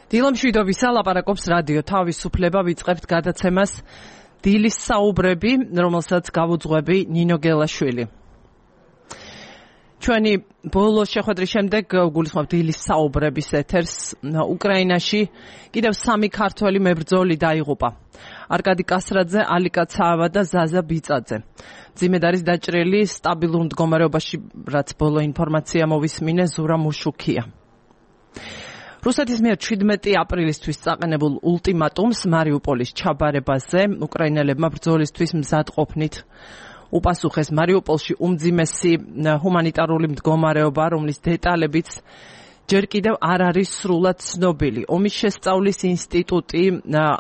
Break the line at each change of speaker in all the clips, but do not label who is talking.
დილამშვიდობისა ლაპარაკობს რადიო თავისუფლება ვიწყებთ გადაცემას დილის საუბრები, რომელსაც გავუძღვები ნინო გელაშვილი. ჩვენი ბოლო შეხვედრის შემდეგ გულისხმობთ დილის საუბრების ეთერს. უკრაინაში კიდევ 3 ქართველი მებრძოლი დაიღუპა. არკადი კასრაძე, ალიკა ცაავა და ზაზა ბიწაძე. მძიმედ არის დაჭრილი სტაბილურ მდგომარეობაში, რაც ბოლო ინფორმაცია მოვისმინე ზურა მუშუქია. რუსეთის მიერ 17 აპრილისთვის წაყენებულ ულტიმატუმს მარიუპოლის ჩაბარებაზე უკრაინელებმა ბრძოლისთვის მზადყოფნით უპასუხეს. მარიუპოლში უმძიმესი ჰუმანიტარული მდგომარეობა, რომლის დეტალებიც ჯერ კიდევ არ არის სრულად ცნობილი. ომის შესწავლის ინსტიტუტი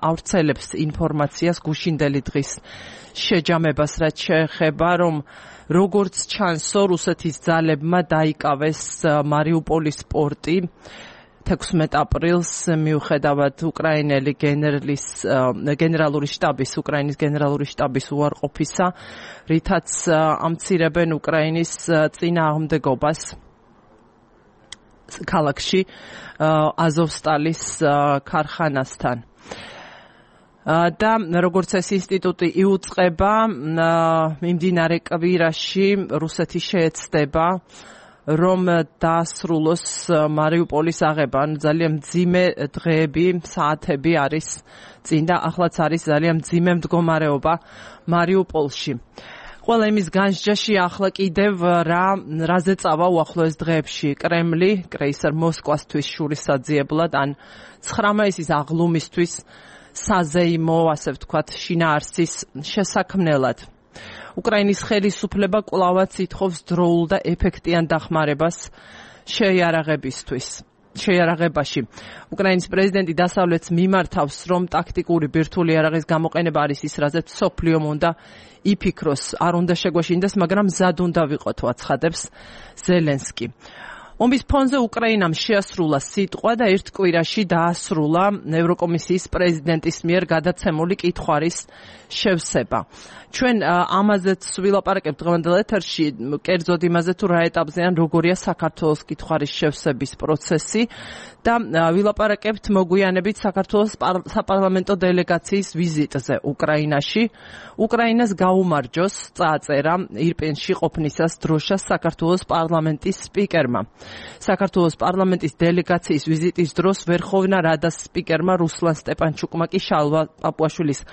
ავრცელებს ინფორმაციას გუშინდელი დღის შეჯამებას, რაც შეეხება, რომ როგორც ჩანსო, რუსეთის ძალებმა დაიკავეს მარიუპოლის პორტი 16 აპრილს, მიუხედავად უკრაინელი უკრაინის გენერალური შტაბის უარყოფისა, რითაც ამცირებენ უკრაინის წინააღმდეგობას ქალაქში აზოვსტალის ქარხანასთან. და როგორც ეს ინსტიტუტი იუწყება, მიმდინარე კვირაში რუსეთი შეეცდება რომ დაასრულოს მარიუპოლის აღება. ძალიან მძიმე დღეები, საათები არის წინ და ახლაც არის ძალიან მძიმე მდგომარეობა მარიუპოლში. ყველა იმის განსჯაში ახლა კიდევ რაზე წავა უახლოეს დღეებში კრემლი კრეისერ მოსკოვისთვის შურისძიებლად ან 19-ის აღლუმისთვის საზეიმო, ასე ვთქვათ, შინაარსის შესაქმნელად. უკრაინის ხელისუფლება კვლავაც ითხოვს დროულ და ეფექტიან დახმარებას შეიარაღებაში. უკრაინის პრეზიდენტი დასავლეთს მიმართავს, რომ ტაქტიკური ბირთვული იარაღის გამოყენება არის ის, რაზეც მსოფლიომ უნდა იფიქროს, არ უნდა შეგვაშინდეს, მაგრამ მზად უნდა ვიყოთ, აცხადებს ზელენსკი. ომის ფონზე უკრაინამ შეასრულა სიტყვა და ერთ კვირაში დაასრულა ევროკომისიის პრეზიდენტის მიერ გადაცემული კითხვარის შევსება. ჩვენ ამაზეც ვილაპარაკებთ დღევანდელ ეთერში, კერძოდ იმაზე თუ რა ეტაპზე ან როგორია საქართველოს კითხვარის შევსების პროცესი და ვილაპარაკებთ მოგვიანებით საქართველოს საპარლამენტო დელეგაციის ვიზიტზე უკრაინაში. უკრაინას გაუმარჯოს, წააწერა ირპენში ყოფნისას დროშას საქართველოს პარლამენტის სპიკერმა. საქართველოს პარლამენტის დელეგაციის ვიზიტის დროს ვერხოვნა რადას სპიკერმა რუსლან სტეპანჩუკმა კი შალვა პაპუაშვილის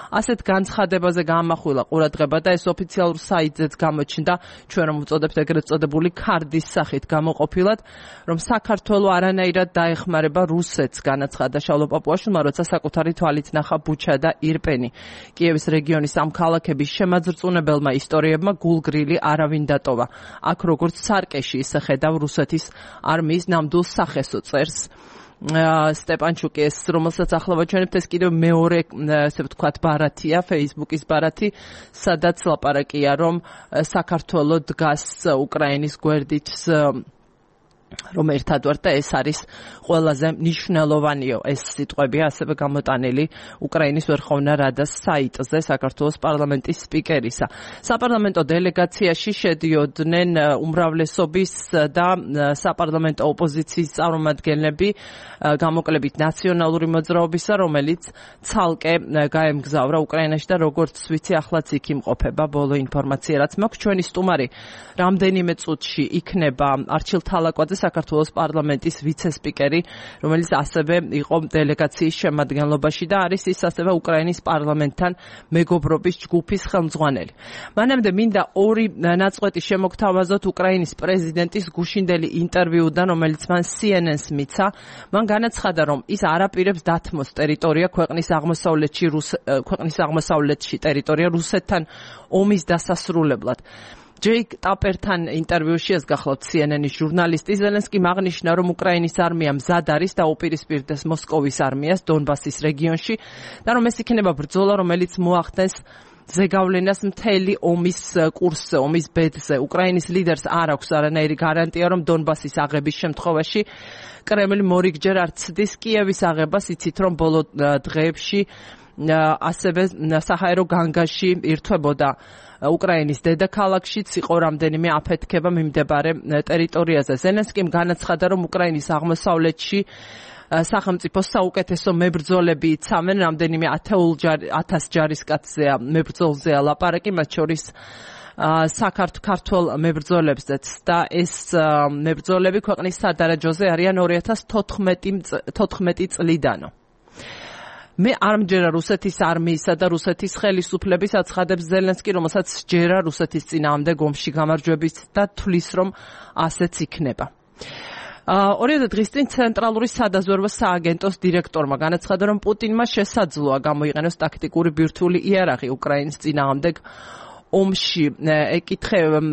ასეთ განცხადებაზე გაამახვილა ყურადღება და ეს ოფიციალურ საიტზეც გამოჩნდა, ჩვენ რომ ვუწოდებთ ეგრეთ წოდებული ქარდის სახით გამოყოფილად, რომ საქართველო არანაირად დაეხმარება რუსეთს, განაცხადა შალვა პაპუაშვილმა, როცა საკუთარი თვალით ნახა ბუჩა და ირპენი. კიევის რეგიონის ამ ქალაქების შემაძრწუნებელმა ისტორიებმა გულგრილი არავინ დატოვა. აქ როგორც სარკეში ისე ხედავ რუსეთის არმიის ნამდვილ სახესო, წერს სტეპანჩუკი, ეს რომელსაც ახლა ვაჩვენებთ, ეს კიდევ მეორე, ასე ვთქვათ, ბარათია, Facebook-ის ბარათი, სადაც ლაპარაკია, რომ საქართველო დგას უკრაინის გვერდით, რომ ერთად ვართ და ეს არის ყველაზე მნიშვნელოვანიო. ეს სიტყვებია ასევე გამოტანილი უკრაინის ვერხოვნა რადას საიტზე საქართველოს პარლამენტის სპიკერისა. საპარლამენტო დელეგაციაში შედიოდნენ უმრავლესობის და საპარლამენტო ოპოზიციის წარმომადგენლები, გამოკლებით ნაციონალური მოძრაობისა, რომელიც ცალკე გაემგზავრა უკრაინაში და როგორც ვიცი, ახლაც იქ იმყოფება. ბოლო ინფორმაცია, რაც მაქვს, ჩვენი სტუმარი რამდენიმე წუთში იქნება არჩილ თალაკვაძე, საქართველოს პარლამენტის ვიცე-სპიკერი, რომელიც ასევე იყო დელეგაციის შემადგენლობაში და არის ის ასევე უკრაინის პარლამენტთან მეგობრობის ჯგუფის ხელმძღვანელი. მანამდე მინდა ორი ნაწყვეტი შემოგთავაზოთ უკრაინის პრეზიდენტის გუშინდელი ინტერვიუდან, რომელიც მან CNN-ს მიცა. მან განაცხადა, რომ ის არაპირებს დათმოს ტერიტორია ქვეყნის აღმოსავლეთში ტერიტორია რუსეთთან ომის დასასრულებლად. ჯეიკ ტაპერთან ინტერვიუში ეს გახლავთ CNN-ის ჟურნალისტი ზელენსკი აღნიშნა, რომ უკრაინის არმია მზად არის და უპირისპირდეს მოსკოვის არმიას დონბასის რეგიონში და რომ ეს იქნება ბრძოლა, რომელიც მოახდენს ზეგავლენას მთელი ომის კურსზე, ომის ბედზე. უკრაინის ლიდერს არ აქვს არანაირი გარანტია, რომ დონბასის აღების შემთხვევაში კრემლი მორიგჯერ არ ცდის კიევის აღებას. იცით, რომ ბოლო დღეებში ასევე საჰაერო განგაში ირთვებოდა უკრაინის დედაქალაქშიც იყო რამდენიმე აფეთქება მიმდებარე ტერიტორიაზე. ზელენსკიმ განაცხადა, რომ უკრაინის აღმოსავლეთში სახელმწიფოს საუკეთესო მებრძოლები იცამენ, რამდენიმე 1000 ჯარისკაცზეა მებრძოლზეა ლაპარაკი, მათ შორის საქართველოს მებრძოლებზეც და ეს მებრძოლები ქვეყნის სადარაჯოზე არიან 2014 წლიდანო. მე არ მჯერა რუსეთის არმიისა და რუსეთის ხელისუფლების აცხადებს ზელენსკი, რომელსაც ჯერა რუსეთის წინააღმდეგ ომში გამარჯვების და თვლის, რომ ასეც იქნება. 2 დღის წინ ცენტრალური სადაზვერვო სააგენტოს დირექტორმა განაცხადა, რომ პუტინმა შესაძლოა გამოიყენოს ტაქტიკური ბირთვული იარაღი უკრაინის წინააღმდეგ ომში.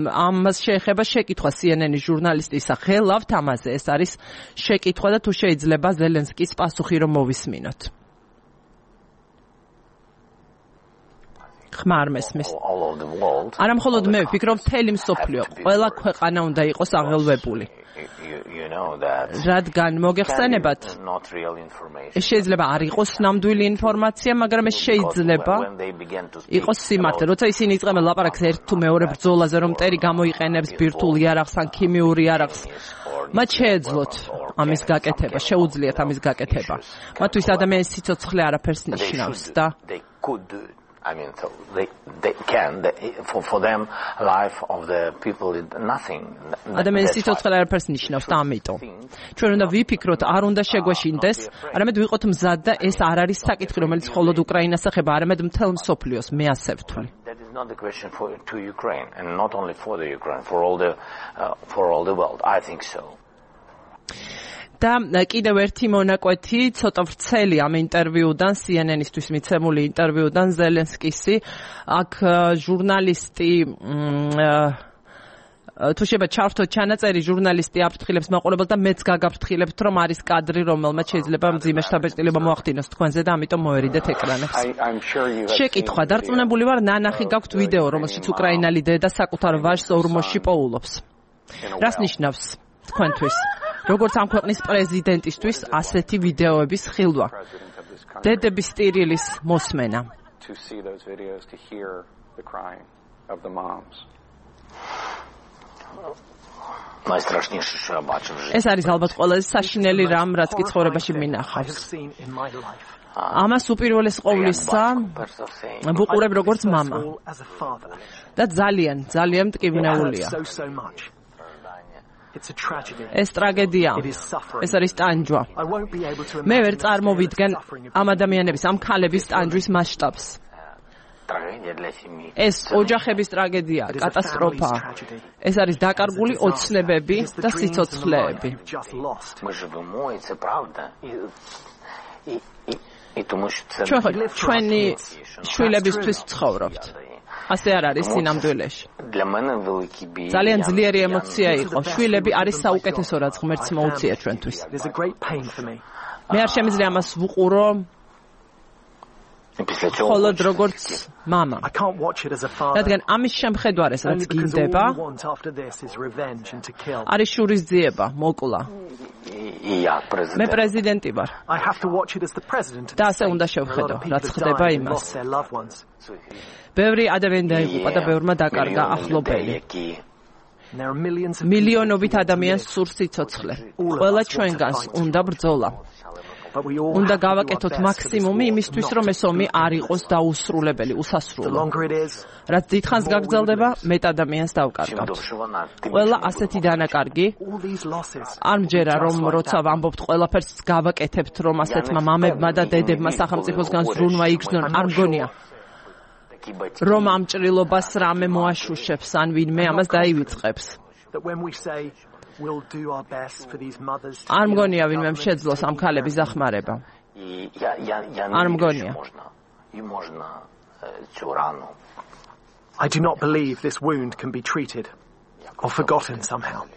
ამას შეეხება შეკითხვა CNN-ის ჟურნალისტისა ღელავთ ამაზე. ეს არის შეკითხვა და თუ შეიძლება ზელენსკის პასუხი რომ მოვისმინოთ. ხმა არ მესმის. არა მხოლოდ მე ვფიქრობ, მთელი მსოფლიო, ყველა ქვეყანა უნდა იყოს აღელვებული. რადგან მოგეხსენებათ, შეიძლება არ იყოს ნამდვილი ინფორმაცია, მაგრამ ეს შეიძლება იყოს სიმართლე. როცა ისინი იწყებენ ლაპარაკს ერთ თუ მეორე ბრძოლაზე, რომ მტერი გამოიყენებს ბირთვულ იარაღს ან ქიმიურ იარაღს, მათ შეეძლოთ ამის გაკეთება, შეუძლიათ ამის გაკეთება. მათთვის ადამიანის სიცოცხლე არაფერს ნიშნავს და
I mean, so they can. For them, life of the people is nothing.
ადამიანის სიცოცხლე არაფერს ნიშნავს და ამიტომ ჩვენ უნდა ვიფიქროთ, არ უნდა შეგვეშინდეს, არამედ ვიყოთ მზად და ეს არ არის საკითხი, რომელიც მხოლოდ უკრაინას ეხება, არამედ მთელ მსოფლიოს, მე ასე ვთვლი.
That is not the question to Ukraine, and not only for the Ukraine, for all the world. I think so.
და კიდევ ერთი მონაკვეთი ცოტა ვრცელი ამ ინტერვიუდან CNN-ისთვის მიცემული ინტერვიუდან ზელენსკისი აქ ჟურნალისტი თუ შეიძლება ჩავთოთ ჩანაწერი ჟურნალისტი აფრთხილებს მაყურებელს და მეც გაგაფრთხილებთ რომ არის კადრი რომელმაც შეიძლება მძიმე შთაბეჭდილება მოახდინოს თქვენზე და ამიტომ მოერიდეთ ეკრანებს. შეკითხვა დარწმუნებული ვარ ნანახი გაქვთ ვიდეო რომელშიც უკრაინელი დედა საკუთარ ვაჟს ორმოში პოულობს. რას ნიშნავს თქვენთვის? როგორც ამ ქვეყნის პრეზიდენტისთვის ასეთი ვიდეოების ხილვა. დედების ტირილის მოსმენა. ეს არის ალბათ ყველაზე საშინელი რამ, რაც კი ცხოვრებაში მინახავს. ამას უპირველეს ყოვლისა ვუყურებ როგორც მამა. და ძალიან მტკივნეულია. ეს ტრაგედია, ეს არის ტანჯვა. მე ვერ წარმოვიდგენ ამ ადამიანების, ამ ქალების ტანჯვის მასშტაბს. ეს ოჯახების ტრაგედია, კატასტროფა. ეს არის დაკარგული ოცნებები და სიცოცხლეები. ჩვენი შვილებისთვის ვცხოვრობთ. ასე არ არის სინამდვილეში. ძალიან ძლიერი ემოცია იყო. შვილები არის საუკეთესო რაც ღმერთს მოუწია ჩვენთვის. მე არ შემიძლია ამას ვუყურო მხოლოდ როგორც მამა. რადგან ამის შემხედვარეს რაც გინდება არის შურის ძიება, მოკლა. მე პრეზიდენტი ვარ. და ასე უნდა შევხედო, რაც ხდება იმას. ბევრი ადამიანი დაიღუპა და ბევრმა დაკარგა ახლობელი. მილიონობით ადამიანს სურს სიცოცხლე. ყველა ჩვენგანს უნდა ბრძოლა. უნდა გავაკეთოთ მაქსიმუმი იმისთვის, რომ ეს ომი არ იყოს დაუსრულებელი, უსასრულო. რაც დიდხანს გაგრძელდება, მეტ ადამიანს დავკარგავთ. ყველა ასეთი დანაკარგი არ მჯერა, რომ როცა ვამბობთ ყველაფერს გავაკეთებთ, რომ ასეთმა მამებმა და დედებმა სახელმწიფოსგან ზრუნვა იგრძნონ, არ მგონია. რომ ამ ჭრილობას რამე მოაშუშებს, ან ვინმე ამას დაივიწყებს. არ მგონია ვინმე შეძლოს ამ ქალების ახმარება. არ მგონია.
I do not believe this wound can be treated or forgotten somehow.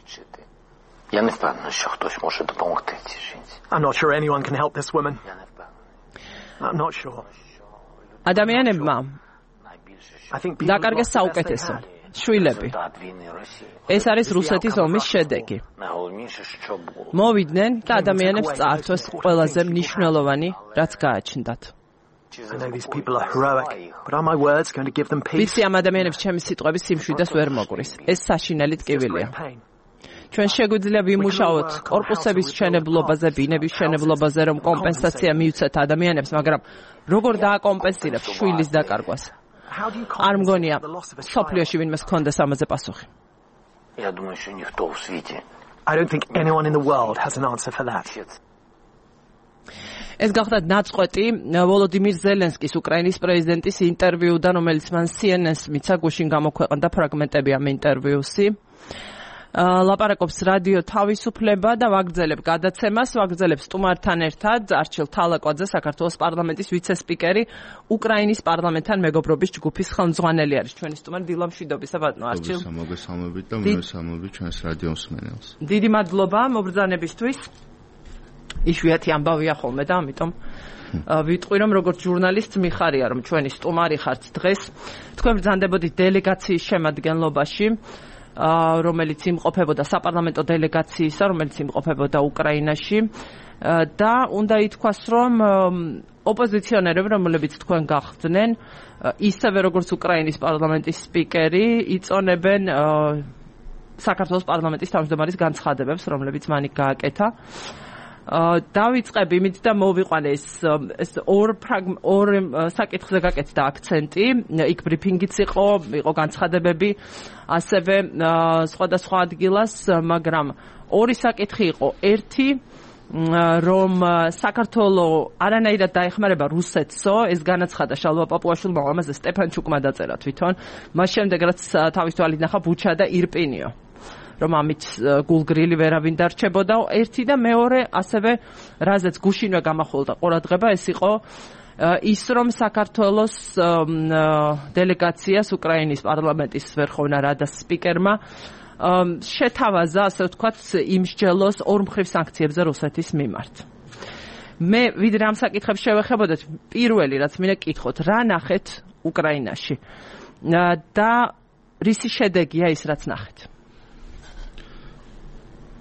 I'm not sure anyone can help this woman. I'm not sure.
ადამიანებმა დაკარგეს საუკეთესო. შვილები. ეს არის რუსეთის ომის შედეგი. მოვიდნენ და ადამიანებს წაართვეს ყველაზე მნიშვნელოვანი, რაც გააჩნდათ.
I know these people are heroic, but are my words going to give them peace?
ვიცი ამ ადამიანებს ჩემი სიტყვები სიმშვიდეს ვერ მოგვრის. ეს საშინელი ტკივილია. ჩვენ შეგვიძლია ვიმუშაოთ კორპუსების მშენებლობაზე, ბინების მშენებლობაზე, რომ კომპენსაცია მიუცეთ ადამიანებს, მაგრამ როგორ დააკომპენსირებს შვილის დაკარგვას? არ მგონია სოფლიოში ვინმეს ჰქონდეს ამაზე პასუხი.
Я думаю, что никто в свете.
I don't think anyone in the world has an answer for that.
ეს გახდა ნაწყვეტი ვოლოდიმირ ზელენსკის უკრაინის პრეზიდენტის ინტერვიუდან, რომელიც მან CNN-ს მიცა, გუშინ გამოქვეყნდა ფრაგმენტები ამ ინტერვიუსი. ლაპარაკობს რადიო თავისუფლება და ვაგრძელებ გადაცემას, ვაგრძელებ სტუმართან ერთად არჩილ თალაკვაძე, საქართველოს პარლამენტის ვიცე-სპიკერი, უკრაინის პარლამენტთან მეგობრობის ჯგუფის ხელმძღვანელი არის. ჩვენი სტუმარი დილა მშვიდობისა ბატონო არჩილ.
მოგესალმებით და მოგესალმებით ჩვენს რადიო მსმენელს.
დიდი მადლობა მობრძანებისთვის. იშვიათი ამბავია ხოლმე და ამიტომ ვიტყვი რომ როგორც ჟურნალისტ მიხარია რომ ჩვენი სტუმარი ხართ დღეს. თქვენ ბრძანდებოდით დელეგაციის შემადგენლობაში, რომელიც იმყოფებოდა საპარლამენტო დელეგაციისა, რომელიც იმყოფებოდა უკრაინაში და უნდა ითქვას რომ ოპოზიციონერები, რომლებიც თქვენ გახდნენ, ისევე როგორც უკრაინის პარლამენტის სპიკერი, იწონებენ საქართველოს პარლამენტის თავმჯდომარის განცხადებებს, რომლებიც მან გააკეთა. დავიწყებ იმით და მოვიყვანე ეს ორ საკითხზე გაკეთდა აქცენტი, იქ ბრიფინგიც იყო განცხადებები, ასევე სხვადასხვა ადგილას, მაგრამ ორი საკითხი იყო. ერთი, რომ საქართველო არანაირად დაეხმარება რუსეთსო, ეს განაცხადა შალვა პაპუაშვილმა, ამაზე სტეფანჩუკმა დაწერა თვითონ, მას შემდეგ რაც თავის თვალით ნახა ბუჩა და ირპინიო. რომ ამით გულგრილი ვერავინ დარჩებოდა. ერთი და მეორე, ასევე რაზეც გუშინვე გამახვილდა ყურადღება, ეს იყო ის, რომ საქართველოს დელეგაციას უკრაინის პარლამენტის ვერხოვნა რადას სპიკერმა შეთავაზა, ასე ვთქვათ, იმსჯელოს ორმხრივ სანქციებზე რუსეთის მიმართ. მე ვიდრე ამ საკითხებს შევეხებოდეთ, პირველი რაც მინდა გკითხოთ, რა ნახეთ უკრაინაში და რისი შედეგია ის, რაც ნახეთ?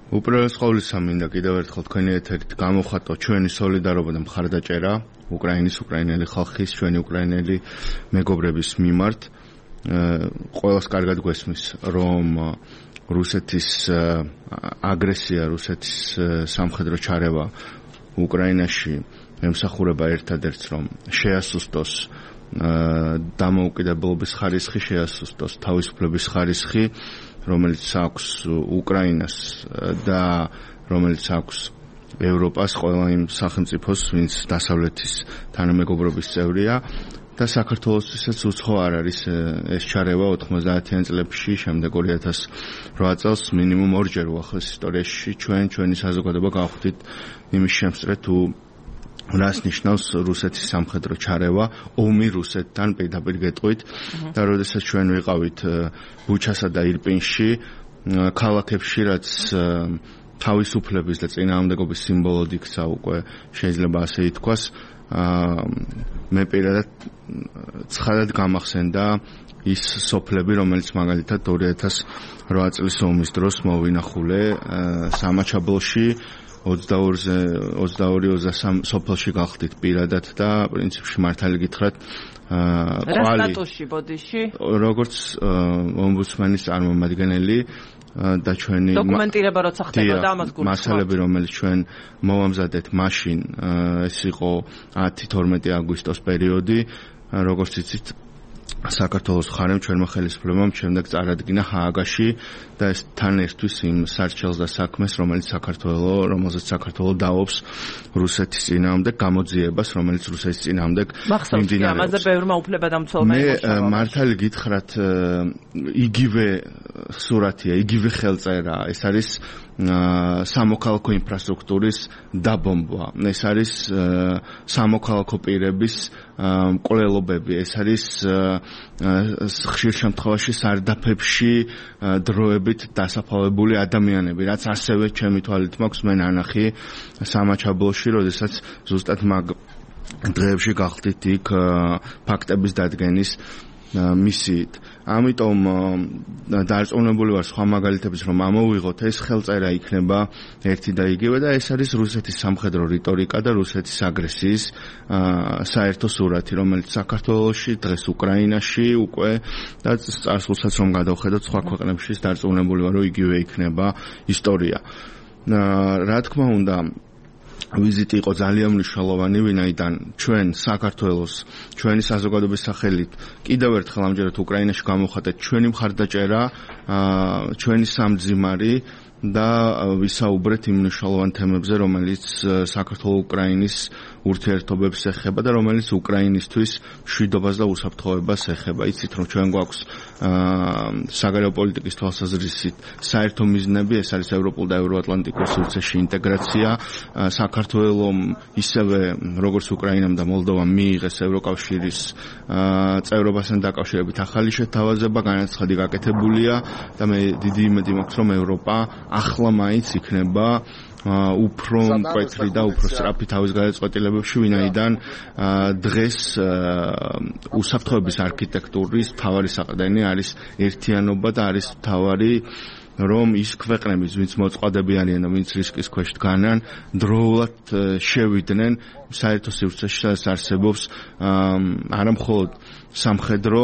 უპირველეს ყოვლისა მინდა კიდევ ერთხელ თქვენი ეთერით გამოხატო ჩვენი სოლიდარობა და მხარდაჭერა უკრაინელი ხალხის, ჩვენი უკრაინელი მეგობრების მიმართ. ყველას კარგად გვესმის, რომ რუსეთის აგრესია, რუსეთის სამხედრო ჩარევა უკრაინაში ემსახურება ერთადერთს, რომ შეასუსტოს დამოუკიდებლობის ხარისხი, შეასუსტოს თავისუფლების ხარისხი, რომელიც აქვს უკრაინას და რომელიც აქვს ევროპას, ყველა იმ სახელმწიფოს, ვინც დასავლეთის თანამეგობრობის წევრია და საქართველოსთვისაც უცხო არ არის ეს ჩარევა 90-იან წლებში, შემდეგ 2008 წელს მინიმუმ ორჯერ უახლეს ისტორიაში ჩვენი საზოგადოება გავხდით იმის შემსწრე თუ რას ნიშნავს რუსეთის სამხედრო ჩარევა, ომი რუსეთთან პირდაპირ გეტყვით და როდესაც ჩვენ ვიყავით ბუჩასა და ირპინში, ქალაქებში, რაც თავისუფლების და წინააღმდეგობის სიმბოლოდ იქცა უკვე, შეიძლება ასე ითქვას, მე პირადად ცხადად გამახსენდა ის სოფლები, რომელიც მაგალითად 2008 წლის ომის დროს მოვინახულე სამაჩაბლოში, 22-23 სოფელში გავხდით პირადად და პრინციპში მართალი გითხრათ
რა სტატუსში ბოდიში? როგორც
ომბუდსმენის წარმომადგენელი და ჩვენი
დოკუმენტირება როცა ხდებოდა ამას გულისხმობთ.
მასალები, რომელიც ჩვენ მოვამზადეთ მაშინ, ეს იყო 10-12 აგვისტოს პერიოდი, როგორც იცით, საქართველოს მხარემ ჩვენმა ხელისუფლებამ შემდეგ წარადგინა ჰააგაში და ეს თან ერთვის იმ სარჩელს და საქმეს, რომელზეც საქართველო დაობს რუსეთის წინააღმდეგ გამოძიებას, რომელიც რუსეთის წინააღმდეგ
მიმდინარეობს. ამაზე ბევრმა უფლებადამცველმა
იმუშავა. მე მართალი გითხრათ, იგივე სურათია, იგივე ხელწერა, ეს არის სამოქალაქო ინფრასტრუქტურის დაბომბვა. ეს არის სამოქალაქო პირების მკვლელობები, ეს არის ხშირ შემთხვევაში სარდაფებში დროებით დასაფლავებული ადამიანები, რაც ასევე ჩემი თვალით მაქვს მე ნანახი სამაჩაბლოში, როდესაც ზუსტად მაგ დღეებში გავხდით იქ ფაქტების დადგენის მისიით. ამიტომ დარწმუნებული ვარ სხვა მაგალითების რომ ამოვიღოთ, ეს ხელწერა იქნება ერთი და იგივე და ეს არის რუსეთის სამხედრო რიტორიკა და რუსეთის აგრესიის საერთო სურათი, რომელიც საქართველოში, დღეს უკრაინაში უკვე და წარსულსაც რომ გადავხედოთ სხვა ქვეყნებში, დარწმუნებული ვარ რომ იგივე იქნება ისტორია. რა თქმა უნდა ვიზიტი იყო ძალიან მნიშვნელოვანი, ვინაიდან ჩვენ საქართველოს, ჩვენი საზოგადოების სახელით კიდევ ერთხელ ამჯერად უკრაინაში გამოვხატეთ ჩვენი მხარდაჭერა, ჩვენი სამძიმარი და ვისაუბრეთ იმ მნიშვნელოვან თემებზე, რომელიც საქართველოს უკრაინის ურთიერთობებს ეხება და რომელიც უკრაინისთვის მშვიდობას და უსაფრთხოებას ეხება. იცით რომ ჩვენ გვაქვს საგარეო პოლიტიკის თვალსაზრისით საერთო მიზნები, ეს არის ევროპულ და ევროატლანტიკურ სივრცეში ინტეგრაცია. საქართველოს ისევე როგორც უკრაინამ და მოლდოვამ მიიღეს ევროკავშირის წევრობასთან დაკავშირებით ახალი შეთავაზება, განაცხადი გაკეთებულია და მე დიდი იმედი მაქვს რომ ევროპა ახლა მაინც იქნება უფრო მკვეთრი და უფრო სწრაფი თავის გადაწყვეტილებებში, ვინაიდან დღეს უსაფრთხოების არქიტექტურის მთავარი საყრდენი არის ერთიანობა და არის მთავარი რომ ის ქვეყნები, ვინც მოწყობები არიან და ვინც რისკის ქვეშ დგანან, დროულად შევიდნენ საერთო სივრცეში, სადაც არსებობს არა მხოლოდ სამხედრო,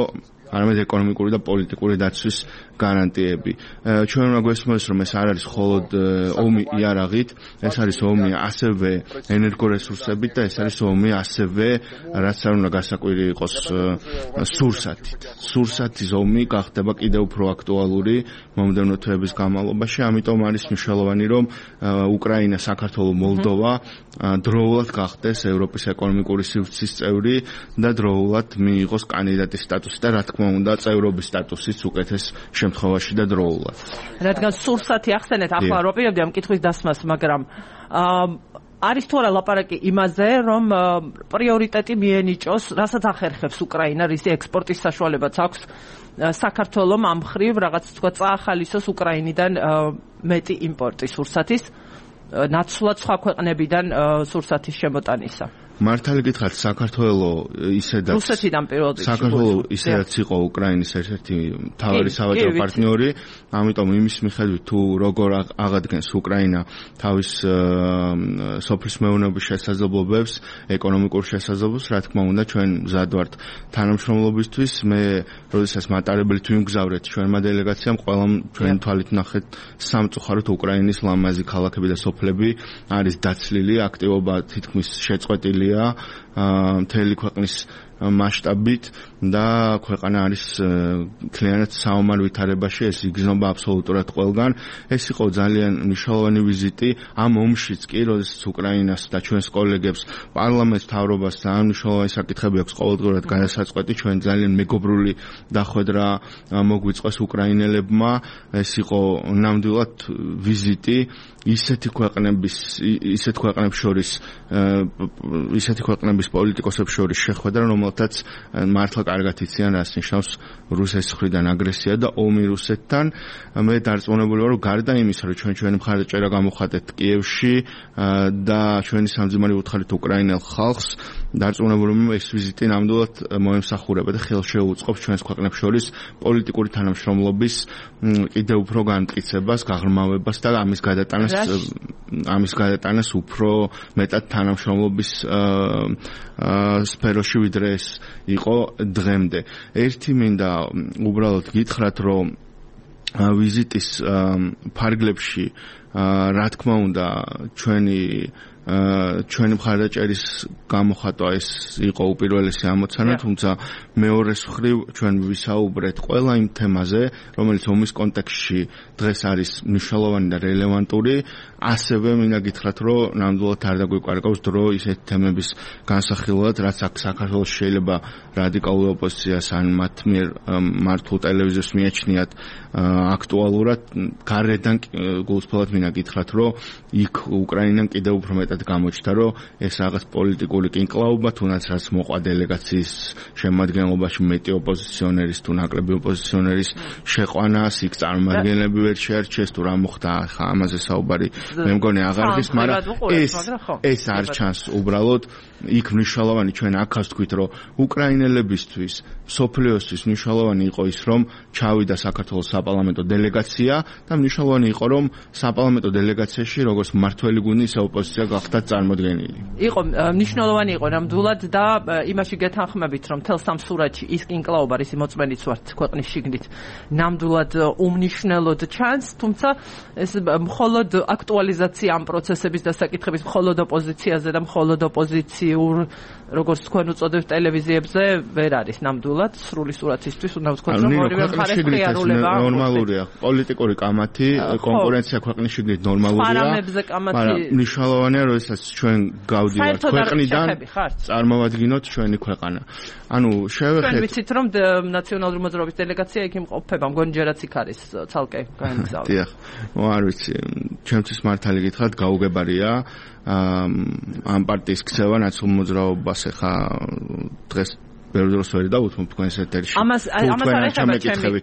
არამედ ეკონომიკური და პოლიტიკური დაცვის გარანტიები. ჩვენ უნდა გვესმოს, რომ ეს არ არის მხოლოდ ომი იარაღით, ეს არის ომი ასევე ენერგორესურსებით და ეს არის ომი ასევე, რაც არ უნდა გასაკვირი იყოს, სურსათით. სურსათის ომი გახდება კიდევ უფრო აქტუალური მომდევნო თვეების განმავლობაში, ამიტომ არის მნიშვნელოვანი, რომ უკრაინა, საქართველო, მოლდოვა დროულად გახდეს ევროპის ეკონომიკური სივრცის წევრი და დროულად მიიღოს კანდიდატის სტატუსი და რა თქმა უნდა წევრობის სტატუსიც უკეთეს შემთხვევაში და დროულად.
რადგან სურსათი ახსენეთ, ახლა არ ვაპირებდი ამ კითხვის დასმას, მაგრამ არის თუ არა ლაპარაკი იმაზე, რომ პრიორიტეტი მიენიჭოს, რასაც ახერხებს უკრაინა, რისი ექსპორტის საშუალებაც აქვს საქართველოს ამ მხრივ რაღაც თქვა წაახალისოს უკრაინიდან მეტი იმპორტი სურსათის, ნაცვლად სხვა ქვეყნებიდან სურსათის შემოტანისა.
მართალი გითხრათ, საქართველოს ისედაც
რუსეთიდან პირველად
საქართველოს ისედაც იყო უკრაინის ერთ-ერთი მთავარი სავაჭრო პარტნიორი, ამიტომ იმის მიხედვით თუ როგორ აღადგენს უკრაინა თავის სოფლის მეურნეობის შესაძლებლობებს, ეკონომიკურ შესაძლებლობებს, რა თქმა უნდა ჩვენ მზად ვართ თანამშრომლობისთვის. მე როდესაც მატარებლით ვიმგზავრეთ ჩვენმა დელეგაციამ, ყველა ჩვენ თვალით ნახეთ სამწუხაროდ უკრაინის ლამაზი ქალაქები და სოფლები არის დაცლილი, აქტივობა თითქმის შეწყვეტილი მთელი ქვეყნის მასშტაბით და ქვეყანა არის მთლიანად საომარ ვითარებაში, ეს იგრძნობა აბსოლუტურად ყველგან. ეს იყო ძალიან მნიშვნელოვანი ვიზიტი ამ ომშიც კი, როდესაც უკრაინას და ჩვენს კოლეგებს, პარლამენტს, მთავრობას ძალიან მნიშვნელოვანი საკითხები აქვს ყოველდღურად გადასაწყვეტი. ჩვენ ძალიან მეგობრული დახვედრა მოგვიწყვეს უკრაინელებმა. ეს იყო ნამდვილად ვიზიტი ისეთი ქვეყნების პოლიტიკოსებს შორის შეხვედრა, რომელთაც მართლა კარგად იციან, რას ნიშნავს რუსეთის მხრიდან აგრესია და ომი რუსეთთან. მე დარწმუნებული ვარ, რომ გარდა იმისა, რომ ჩვენი მხარდაჭერა გამოვხატეთ კიევში და ჩვენი სამძიმარი უთხარით უკრაინელ ხალხს, დარწმუნებული ვარ, ეს ვიზიტი ნამდვილად მოემსახურება და ხელშეუწყობს ჩვენს ქვეყნებს შორის პოლიტიკური თანამშრომლობის კიდევ უფრო განმტკიცებას, გაღრმავებას და ამის გადატანას უფრო მეტად თანამშრომლობის სფეროში, ვიდრე ეს იყო დღემდე. ერთი მინდა უბრალოდ გითხრათ, რომ ვიზიტის ფარგლებში რა თქმა უნდა ჩვენი მხარდაჭერის გამოხატვა ეს იყო უპირველესი ამოცანა, თუმცა მეორეს მხრივ ჩვენ ვისაუბრეთ ყველა იმ თემაზე, რომელიც ომის კონტექსტში დღეს არის მნიშვნელოვანი და რელევანტური. ასევე მინდა გითხრათ, რომ ნამდვილად არ დაგვიკარგავს დრო ისეთ თემების განსახილვად, რაც აქ საქართველოს შეიძლება რადიკალურ ოპოზიციას ან მათ მიერ მართულ ტელევიზიას მიაჩნიათ აქტუალურად. გარედან გულწრფელად მინდა მინდა გითხრათ, რომ იქ უკრაინამ კიდევ უფრო მეტად გამოჩნდა, რომ ეს რაღაც პოლიტიკური კინკლაობა, თუნდაც რაც მოყვა დელეგაციის შემადგენლობაში მეტი ოპოზიციონერის თუ ნაკლები ოპოზიციონერის შეყვანას, იქ წარმომადგენლები ვერ შეარჩიეს თუ რა მოხდა, ხა ამაზე საუბარი მე მგონი აღარ გის, მაგრამ ეს არ ჩანს უბრალოდ იქ მნიშვნელოვანი ჩვენ აქაც თქვით, რომ უკრაინელებისთვის, სოფლიოსთვის მნიშვნელოვანი იყო ის, რომ ჩავიდა საქართველოს საპარლამენტო დელეგაცია და მნიშვნელოვანი იყო, რომ საპარლამენტო დელეგაციაში როგორც მმართველი გუნდი, ისე ოპოზიცია გახდათ წარმოდგენილი.
იყო მნიშვნელოვანი იყო ნამდვილად და იმაში გეთანხმებით, რომ თელ სამ სურათში ის კინკლაობა, ისი მოწმენიც ვართ ქვეყნის შიგნით, ნამდვილად უმნიშვნელოდ ჩანს, თუმცა ეს მხოლოდ აქტუალიზაცია ამ პროცესების დასაკითხების მხოლოდ ოპოზიციაზე და მხოლოდ ოპოზიციურ, როგორც თქვენ უწოდებთ ტელევიზიებზე, ვერ არის ნამდვილად სრული სურათისთვის, უნდა ვთქვათ, რომ ორივე მხარეს ღიარულება
ნორმალურია. პოლიტიკური კამათი, კონკურენცია ქვეყნის შიგნით ნორმალურია, მაგრამ მნიშვნელოვანია, რომ ესაც ჩვენ გავდივართ ქვეყნიდან, წარმოვადგინოთ ჩვენი ქვეყანა. ანუ შევეხეთ.
ჩვენ ვიცით, რომ ნაციონალური მოძრაობის დელეგაცია იქ იმყოფება, მგონი ჯერაც იქ არის ცალკე განგზავნილი.
დიახ, არ ვიცი, ჩემთვის მართალი გითხრათ, გაუგებარია ამ პარტიის ქცევა ნაციონალურ მოძრაობას ახლა დღეს ბევრ დროს ვერ დავუთმობ თქვენს ეთერში.
ამას არ
ეხება,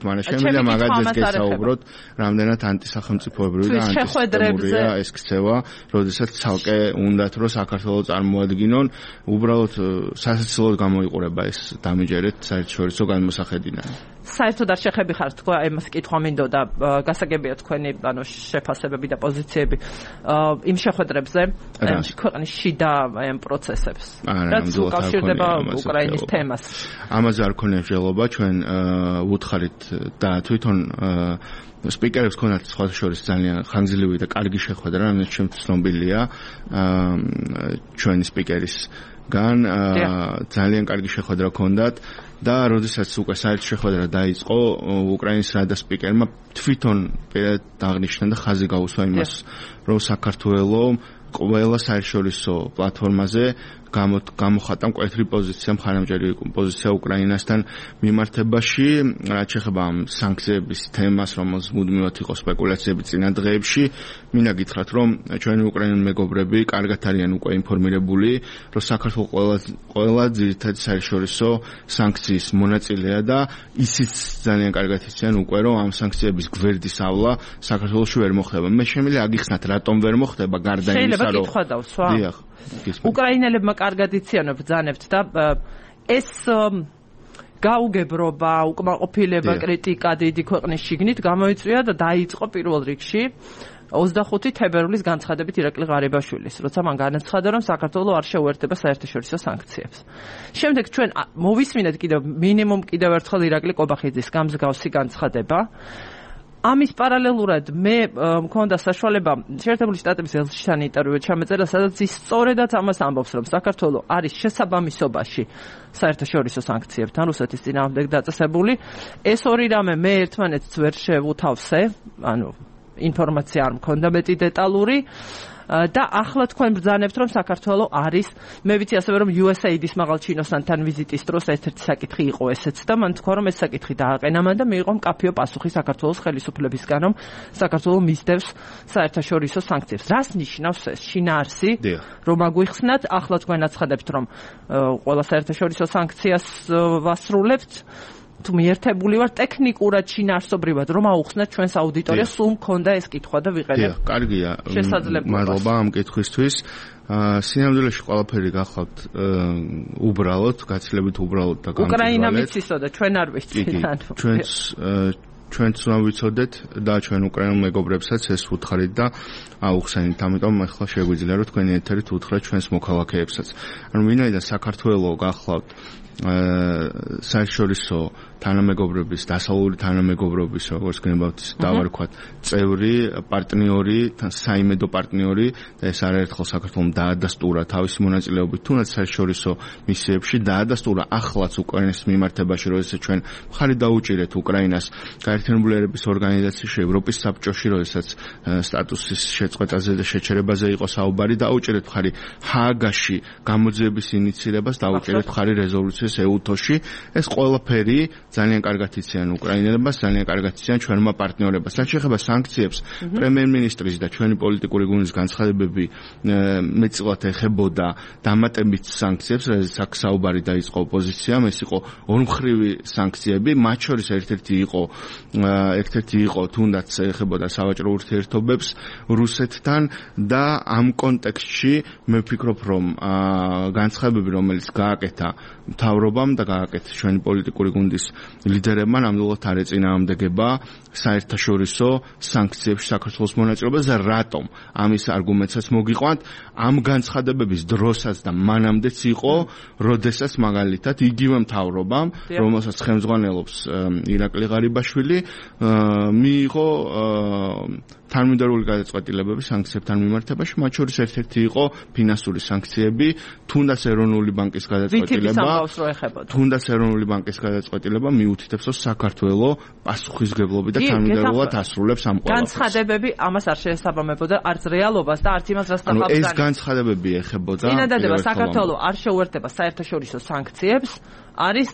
მაგრამ შემიძლია მაგაზეც გესაუბროთ, რამდენად ანტისახელმწიფოებრივი და ანტისისტემურია ეს ქცევა, როდესაც ცალკე უნდათ რომ საქართველოს წარმოადგინონ, უბრალოდ სასაცილოდ გამოიყურება ეს დამიჯერეთ საერთაშორისო განმოსახედიდან.
საერთოდ არ შეხები ხარ თქვა, ამას კითხვა მინდოდა, გასაგებია თქვენი ანუ შეფასებები და პოზიციები იმ შეხვედრებზე, ქვეყნის შიდა ამ პროცესებს. რაც უკავშირდება უკრაინის თემას.
ამაზე არ ქონია მსჯელობა, ჩვენ ვუთხარით და თვითონ სპიკერებს ქონათ სხვა შორის ძალიან ხანგრძლივი და კარგი შეხვედრა, რომელიც ჩემთვის ცნობილია ჩვენი სპიკერისგან, ძალიან კარგი შეხვედრა ქონდათ. და როდესაც უკვე საერთო შეხვედრა დაიწყო, უკრაინის რადა სპიკერმა თვითონ აღნიშნა და ხაზი გაუსვა იმას, რომ საქართველოს ყველა საერთაშორისო პლატფორმაზე გამოხატა მკვეთრი პოზიცია, მხარდამჭერი პოზიცია უკრაინასთან მიმართებაში, რაც შეეხება ამ სანქციების თემას, რომელზეც მუდმივად იყო სპეკულაციები წინა დღეებში. მინდა გითხრათ, რომ ჩვენი უკრაინული მეგობრები კარგად არიან უკვე ინფორმირებული, რომ საქართველოს ყველა ძირითადი საერთაშორისო სანქციის მონაწილეა და ისიც ძალიან კარგად იციან უკვე, რომ ამ სანქციების გვერდის ავლა საქართველოში ვერ მოხდება. მე შემიძლია აგიხსნათ, რატომ ვერ მოხდება, გარდა იმისა, რომ
კითხვა დავსვა.
დიახ.
უკრაინელებმა კარგად იციან ბრძანებთ და ეს გაუგებრობა, უკმაყოფილება, კრიტიკა დიდი ქვეყნის შიგნით გამოიწვია და დაიწყო პირველ რიგში 25 თებერვლის განცხადებით ირაკლი ღარიბაშვილის, როცა მან განაცხადა, რომ საქართველოს არ შეუერთდება საერთაშორისო სანქციებს. შემდეგ ჩვენ მოვისმინეთ მინიმუმ კიდევ ერთხელ ირაკლი ყობახიძის გამსგავსი განცხადება. ამის პარალელურად მე მქონდა საშუალება შეერთებული შტატების ელჩთან ინტერვიუ ჩამეწერა, სადაც ის სწორედაც ამას ამბობს, რომ საქართველოს არის შესაბამისობაში საერთაშორისო სანქციებთან, რუსეთის წინააღმდეგ დაწესებული. ეს ორი რამე მე ერთმანეთს ვერ შევუთავსე, ანუ ინფორმაცია არ მქონდა მეტი დეტალური. და ახლა თქვენ ბრძანებთ, რომ საქართველოს არის, მე ვიცი ასევე, რომ USAID-ის მაღალჩინოსანთან ვიზიტის დროს ერთ-ერთი საკითხი იყო ესეც და მან თქვა, რომ ეს საკითხი დააყენა მან და მიიღო მკაფიო პასუხი საქართველოს ხელისუფლებისგან, რომ საქართველოს მისდევს საერთაშორისო სანქციებს. რას ნიშნავს ეს შინაარსი? რომ აგვიხსნათ, ახლა თქვენ აცხადებთ, რომ ყველა საერთაშორისო სანქციას ვასრულებთ. თუ მიერთებული ვარ ტექნიკურად შინაარსობრივად რომ აუხსნათ ჩვენს აუდიტორიას, სულ მქონდა ეს კითხვა და ვიყენებ.
კარგია. მადლობა ამ კითხვისთვის. სინამდვილეში ყველაფერი გახლავთ უბრალოდ, გაცილებით უბრალოდ და გამჭირვალედ.
უკრაინა ვიცისო და ჩვენ არ ვიცით.
ჩვენც უნდა ვიცოდეთ და ჩვენ უკრაინულ მეგობრებსაც ეს ვუთხარით და აუხსენით. ამიტომ ახლა შეგვიძლია რომ თქვენი ეთერით უთხრათ ჩვენს მოქალაქეებსაც. ანუ ვინაიდან საქართველოს გახლავთ საერთაშორისო თანამეგობრობის, დასავლური თანამეგობრობის, როგორც გნებავთ, დავარქვათ, წევრი, პარტნიორი, საიმედო პარტნიორი და ეს არაერთხელ საქართველოს დაადასტურა თავისი მონაწილეობით თუნდაც საერთაშორისო მისიებში, დაადასტურა ახლაც უკრაინის მიმართებაში, როდესაც ჩვენ მხარი დაუჭირეთ უკრაინას გაერთიანებული ერების ორგანიზაციაში, ევროპის საბჭოში, როდესაც სტატუსის შეწყვეტაზე და შეჩერებაზე იყო საუბარი, დაუჭირეთ მხარი ჰააგაში გამოძიების ინიციირებას, დაუჭირეთ მხარი რეზოლუციის მოდის ეუთოში, ეს ყველაფერი ძალიან კარგად იციან უკრაინელებს, ძალიან კარგად იციან ჩვენმა პარტნიორებს. რაც შეეხება სანქციებს, პრემიერ-მინისტრის და ჩვენი პოლიტიკური გუნდის განცხადებები მეტწილად ეხებოდა დამატებით სანქციებს, რაზეც აქ საუბარი დაიწყო ოპოზიციამ, ეს იყო ორმხრივი სანქციები, მათ შორის ერთ-ერთი იყო თუნდაც ეხებოდა სავაჭრო ურთიერთობებს რუსეთთან და ამ კონტექსტში მე ვფიქრობ, რომ განცხადებები, რომელიც გააკეთა მთავრობამ და გააკეთა ჩვენი პოლიტიკური გუნდის ლიდერებმა, ნამდვილად არ ეწინააღმდეგება საერთაშორისო სანქციებში საქართველოს მონაწილეობას და რატომ ამის არგუმენტსაც მოგიყვანთ ამ განცხადებების დროსაც და მანამდეც იყო, როდესაც მაგალითად იგივე მთავრობამ, რომელსაც ხელმძღვანელობს ირაკლი ღარიბაშვილი, მიიღო თანმიმდევრული გადაწყვეტილებები სანქციებთან მიმართებაში, მათ შორის ერთ-ერთი იყო ფინანსური სანქციები, თუნდაც ეროვნული ბანკის გადაწყვეტილება, მიუთითებს, რომ საქართველოს პასუხისმგებლობით და თანმიმდევრულად ასრულებს ამ ყველაფერს.
განცხადებები ამას არ შეესაბამებოდა არც რეალობას და არც იმას, რაც
ახლა ეს განცხადებები ეხებოდა
წინადადება საქართველოს არ შეუერთდება საერთაშორისო სანქციებს, არის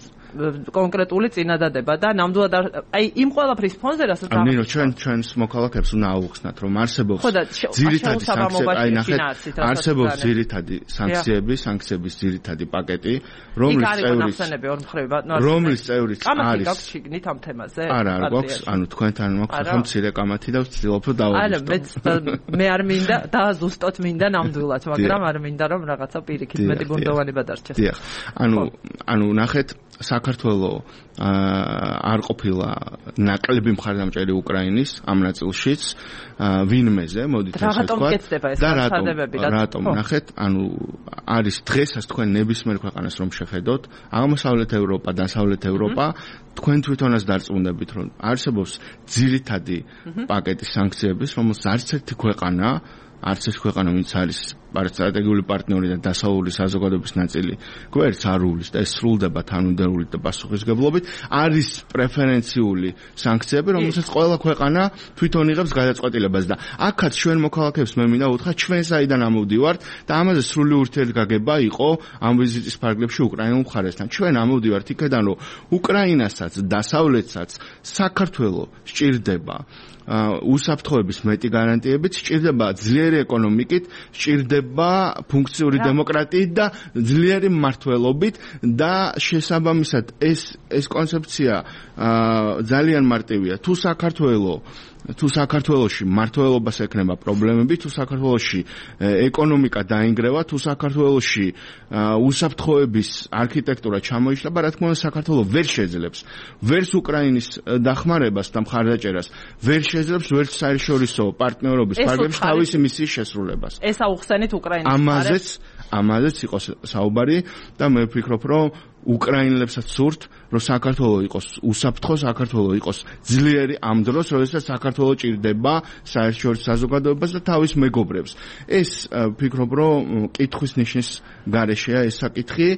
კონკრეტული წინადადება და ნამდვილად აი იმ ყველაფრის ფონზე რასაც
ნინო ჩვენს მოქალაქეებს უნდა აუხსნათ რომ არსებობს ძირითადი სანქციები აი ნახეთ არსებობს ძირითადი სანქციების ძირითადი პაკეტი რომლის წევრიც არის
გაქვს შიგნით ამ თემაზე
არა გვაქვს ანუ თქვენთან მაქვს ახლა მცირე კამათი და ვცდილობ რომ დავაბრუნდეთ
მე არ მინდა და ზუსტად მინდა ნამდვილად მაგრამ არ მინდა რომ რაღაცა პირიქით მეტი ბუნდოვანება დარჩეს
დიახ ანუ ნახეთ საქართველოს არ ყოფილა ნაკლები მხარდამჭერი უკრაინის ამ ნაწილშიც ვინმეზე მოდით ესე ვთქვათ და რატომ ნახეთ ანუ არის დღესაც თქვენ ნებისმიერ ქვეყანას რომ შეხედოთ აღმოსავლეთ ევროპა დასავლეთ ევროპა თქვენ თვითონაც დარწმუნდებით რომ არსებობს ძირითადი პაკეტი სანქციების რომელსაც არც ერთი ქვეყანა ვინც არის სტრატეგიული პარტნიორი და დასავლური საზოგადოების ნაწილი გვერდს არ უვლის და ეს სრულდება თანმიმდევრულად და პასუხისმგებლობით არის პრეფერენციული სანქციები რომელსაც ყველა ქვეყანა თვითონ იღებს გადაწყვეტილებას და აქაც ჩვენ მოქალაქეებს მე მინდა უთხრა ჩვენ საიდან ამოვდივართ და ამაზე სრული ურთიერთგაგება იყო ამ ვიზიტის ფარგლებში უკრაინულ მხარესთან ჩვენ ამოვდივართ იქიდან რომ უკრაინასაც დასავლეთსაც საქართველოს სჭირდება უსაფრთხოების მეტი გარანტიებით სჭირდება ძლიერი ეკონომიკით სჭირდება ფუნქციური დემოკრატიით და ძლიერი მმართველობით და შესაბამისად ეს კონცეფცია ძალიან მარტივია თუ საქართველოში მმართველობას ექნება პრობლემები, თუ საქართველოში ეკონომიკა დაინგრევა, თუ საქართველოში უსაფრთხოების არქიტექტურა ჩამოიშლება, რა თქმა უნდა საქართველოს ვერ შეძლებს ვერც უკრაინის დახმარებას და მხარდაჭერას, ვერ შეძლებს ვერც საერთაშორისო პარტნიორობის ფარგლებში თავისი მისიის შესრულებას.
ეს აუხსენით უკრაინის
ამაზეც იყო საუბარი და მე ვფიქრობ, რომ უკრაინელებსაც სურთ, რომ საქართველოს იყოს უსაფრთხო, საქართველოს იყოს ძლიერი ამ დროს, როდესაც საქართველოს ჭირდება საერთაშორისო საზოგადოებას და თავის მეგობრებს. ეს ვფიქრობ, რომ კითხვის ნიშნის გარეშეა ეს საკითხი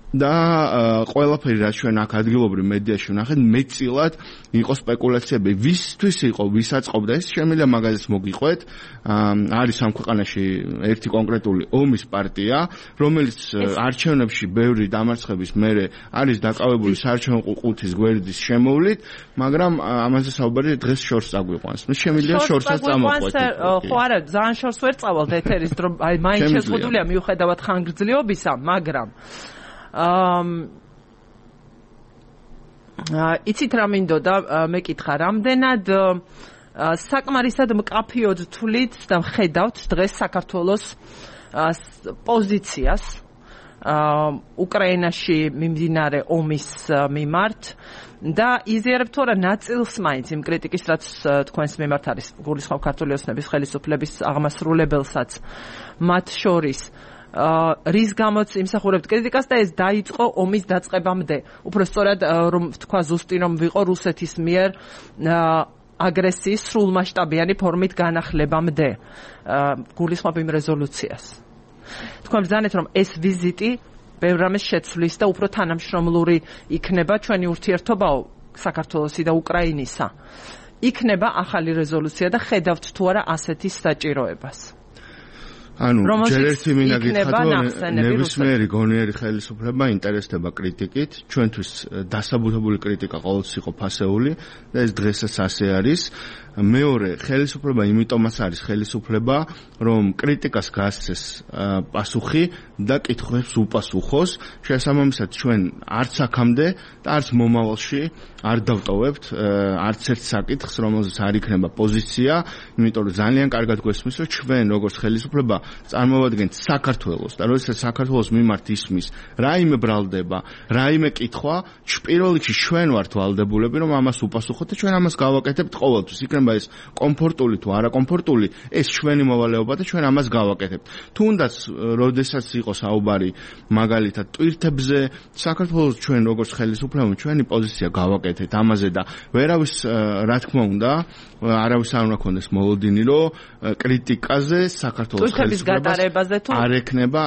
და ყველაფერი რაც ჩვენ აქ ადგილობრივ მედიაში ვნახეთ, მეტწილად იყო სპეკულაციები, ვისთვის იყო, ვის აწყობდა ეს, შემიძლია მაგაზეც მოგიყვეთ. არის ამ ქვეყანაში ერთი კონკრეტული ომის პარტია, რომელიც არჩევნებში ბევრი დამარცხების მერე არის დაკავებული საარჩევნო ყუთის გვერდის შემოვლით, მაგრამ ამაზე საუბარი დღეს შორს წაგვიყვანს. შემიძლია შორსაც წამოყვეთ.
ხო არა, ძალიან შორს ვერ წავალთ ეთერის დრო, აი მაინც შეზღუდულია მიუხედავად ხანგრძლივობისა, მაგრამ იცით რა მინდოდა მეკითხა რამდენად საკმარისად მკაფიოდ თვლით და ხედავთ დღეს საქართველოს პოზიციას უკრაინაში მიმდინარე ომის მიმართ და იზიარებთ თუ არა ნაწილს მაინც იმ კრიტიკის რაც თქვენს მიმართ არის გულისხმობ ქართული ოცნების ხელისუფლების აღმასრულებელსაც მათ შორის რის გამოც იმსახურებთ კრიტიკას და ეს დაიწყო ომის დაწყებამდე. უფრო სწორად რომ თქვა ზუსტი რომ ვიყო რუსეთის მიერ აგრესიის სრულმასშტაბიანი ფორმით განახლებამდე. გულისხმობ იმ რეზოლუციას. თქვენ ბრძანეთ რომ ეს ვიზიტი ბევრ რამეს შეცვლის და უფრო თანამშრომლური იქნება ჩვენი ურთიერთობაო საქართველოსი და უკრაინისა. იქნება ახალი რეზოლუცია და ხედავთ თუ არა ასეთი საჭიროებას.
ანუ ჯერ ერთი მინდა გითხრათ, რომ ნებისმიერი გონიერი ხელისუფლება ინტერესდება კრიტიკით, ჩვენთვის დასაბუთებული კრიტიკა ყოველთვის იყო ფასეული და ეს დღესაც ასე არის. მეორე, ხელისუფლება იმიტომაც არის ხელისუფლება, რომ კრიტიკას გასცეს პასუხი და კითხვებს უპასუხოს. შესაბამისად, ჩვენ არც აქამდე და არც მომავალში არ დავტოვებთ არც ერთ საკითხს, რომელზეც არ იქნება პოზიცია, იმიტომ რომ ძალიან კარგად გვესმის, რომ ჩვენ როგორც ხელისუფლება წარმოვადგენთ საქართველოს და როდესაც საქართველოს მიმართ ისმის რაიმე ბრალდება, რაიმე კითხვა, პირველ რიგში ჩვენ ვართ ვალდებულები, რომ ამას უპასუხოთ და ჩვენ ამას გავაკეთებთ ყოველთვის. იქნება ეს კომფორტული თუ არაკომფორტული, ეს ჩვენი მოვალეობა და ჩვენ ამას გავაკეთებთ. თუნდაც როდესაც იყო საუბარი მაგალითად ტვირთებზე, საქართველოს ჩვენ როგორც ხელისუფლება ჩვენი პოზიცია გავაკეთეთ ამაზე და ვერავის რა თქმა უნდა არავის არ უნდა ქონდეს მოლოდინი, რომ კრიტიკაზე საქართველოს
გატარებაზე თუ
არ ექნება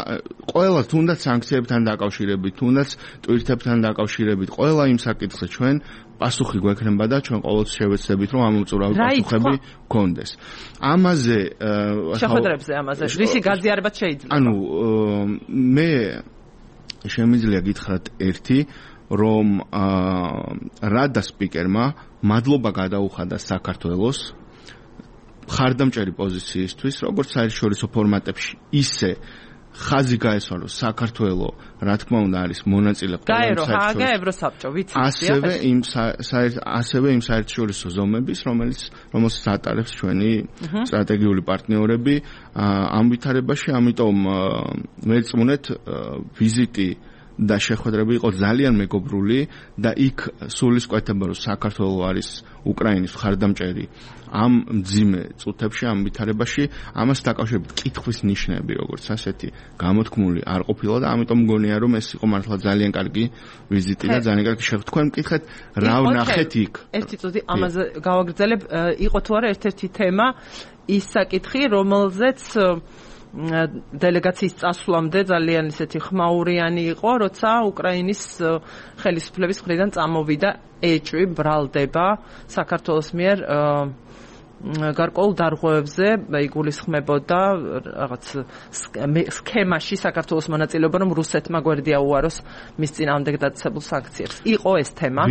ყველა თუნდაც სანქციებთან დაკავშირებით, თუნდაც ტვირთებთან დაკავშირებით, ყველა იმ საკითხზე ჩვენ პასუხი გვექნება და ჩვენ ყოველთვის შევეცდებით, რომ ამ უწურავი პასუხები გქონდეს. ამაზე
შეხვედრებზე ამაზე რისი გაზიარებაც შეიძლება.
ანუ მე შემიძლია გითხრათ ერთი, რომ რადა სპიკერმა მადლობა გადაუხადა საქართველოს ხარდამჭერი პოზიციისთვის, როგორც საერთაშორისო ფორმატებში, ისე ხაზი გაესვა, რომ საქართველო, რა თქმა უნდა, არის მონაწილე
გაერო ჰააგა ევროსაბჭო, ვიცი.
ასევე იმ საერთაშორისო ზომების, რომელსაც ატარებს ჩვენი სტრატეგიული პარტნიორები ამ ვითარებაში, ამიტომ მეწმუნეთ ვიზიტი და შეხვედრები იყო ძალიან მეგობრული და იქ სულისკვეთება, რომ საქართველო არის უკრაინის მხარდამჭერი ამ მძიმე წუთებში, ამ ვითარებაში, ამას დაკავშირებით კითხვის ნიშნები, როგორც ასეთი გამოთქმული არ ყოფილა და ამიტომ მგონია, რომ ეს იყო მართლა ძალიან კარგი ვიზიტი და ძალიან კარგი შეხვედრა. თქვენ მკითხეთ, რა ვნახეთ იქ?
ერთი წუთი ამაზე გავაგრძელებ, იყო თუ არა ერთ-ერთი თემა ის საკითხი, რომელზეც დელეგაციის წასვლამდე ძალიან ისეთი ხმაურიანი იყო, როცა უკრაინის ხელისუფლების მხრიდან წამოვიდა ეჭვი, ბრალდება საქართველოს მიერ გარკვეულ დარღვევებზე, იგულისხმებოდა რაღაც სქემაში საქართველოს მონაწილეობა, რომ რუსეთმა გვერდი აუაროს მის წინააღმდეგ დაწესებულ სანქციებს. იყო ეს თემა.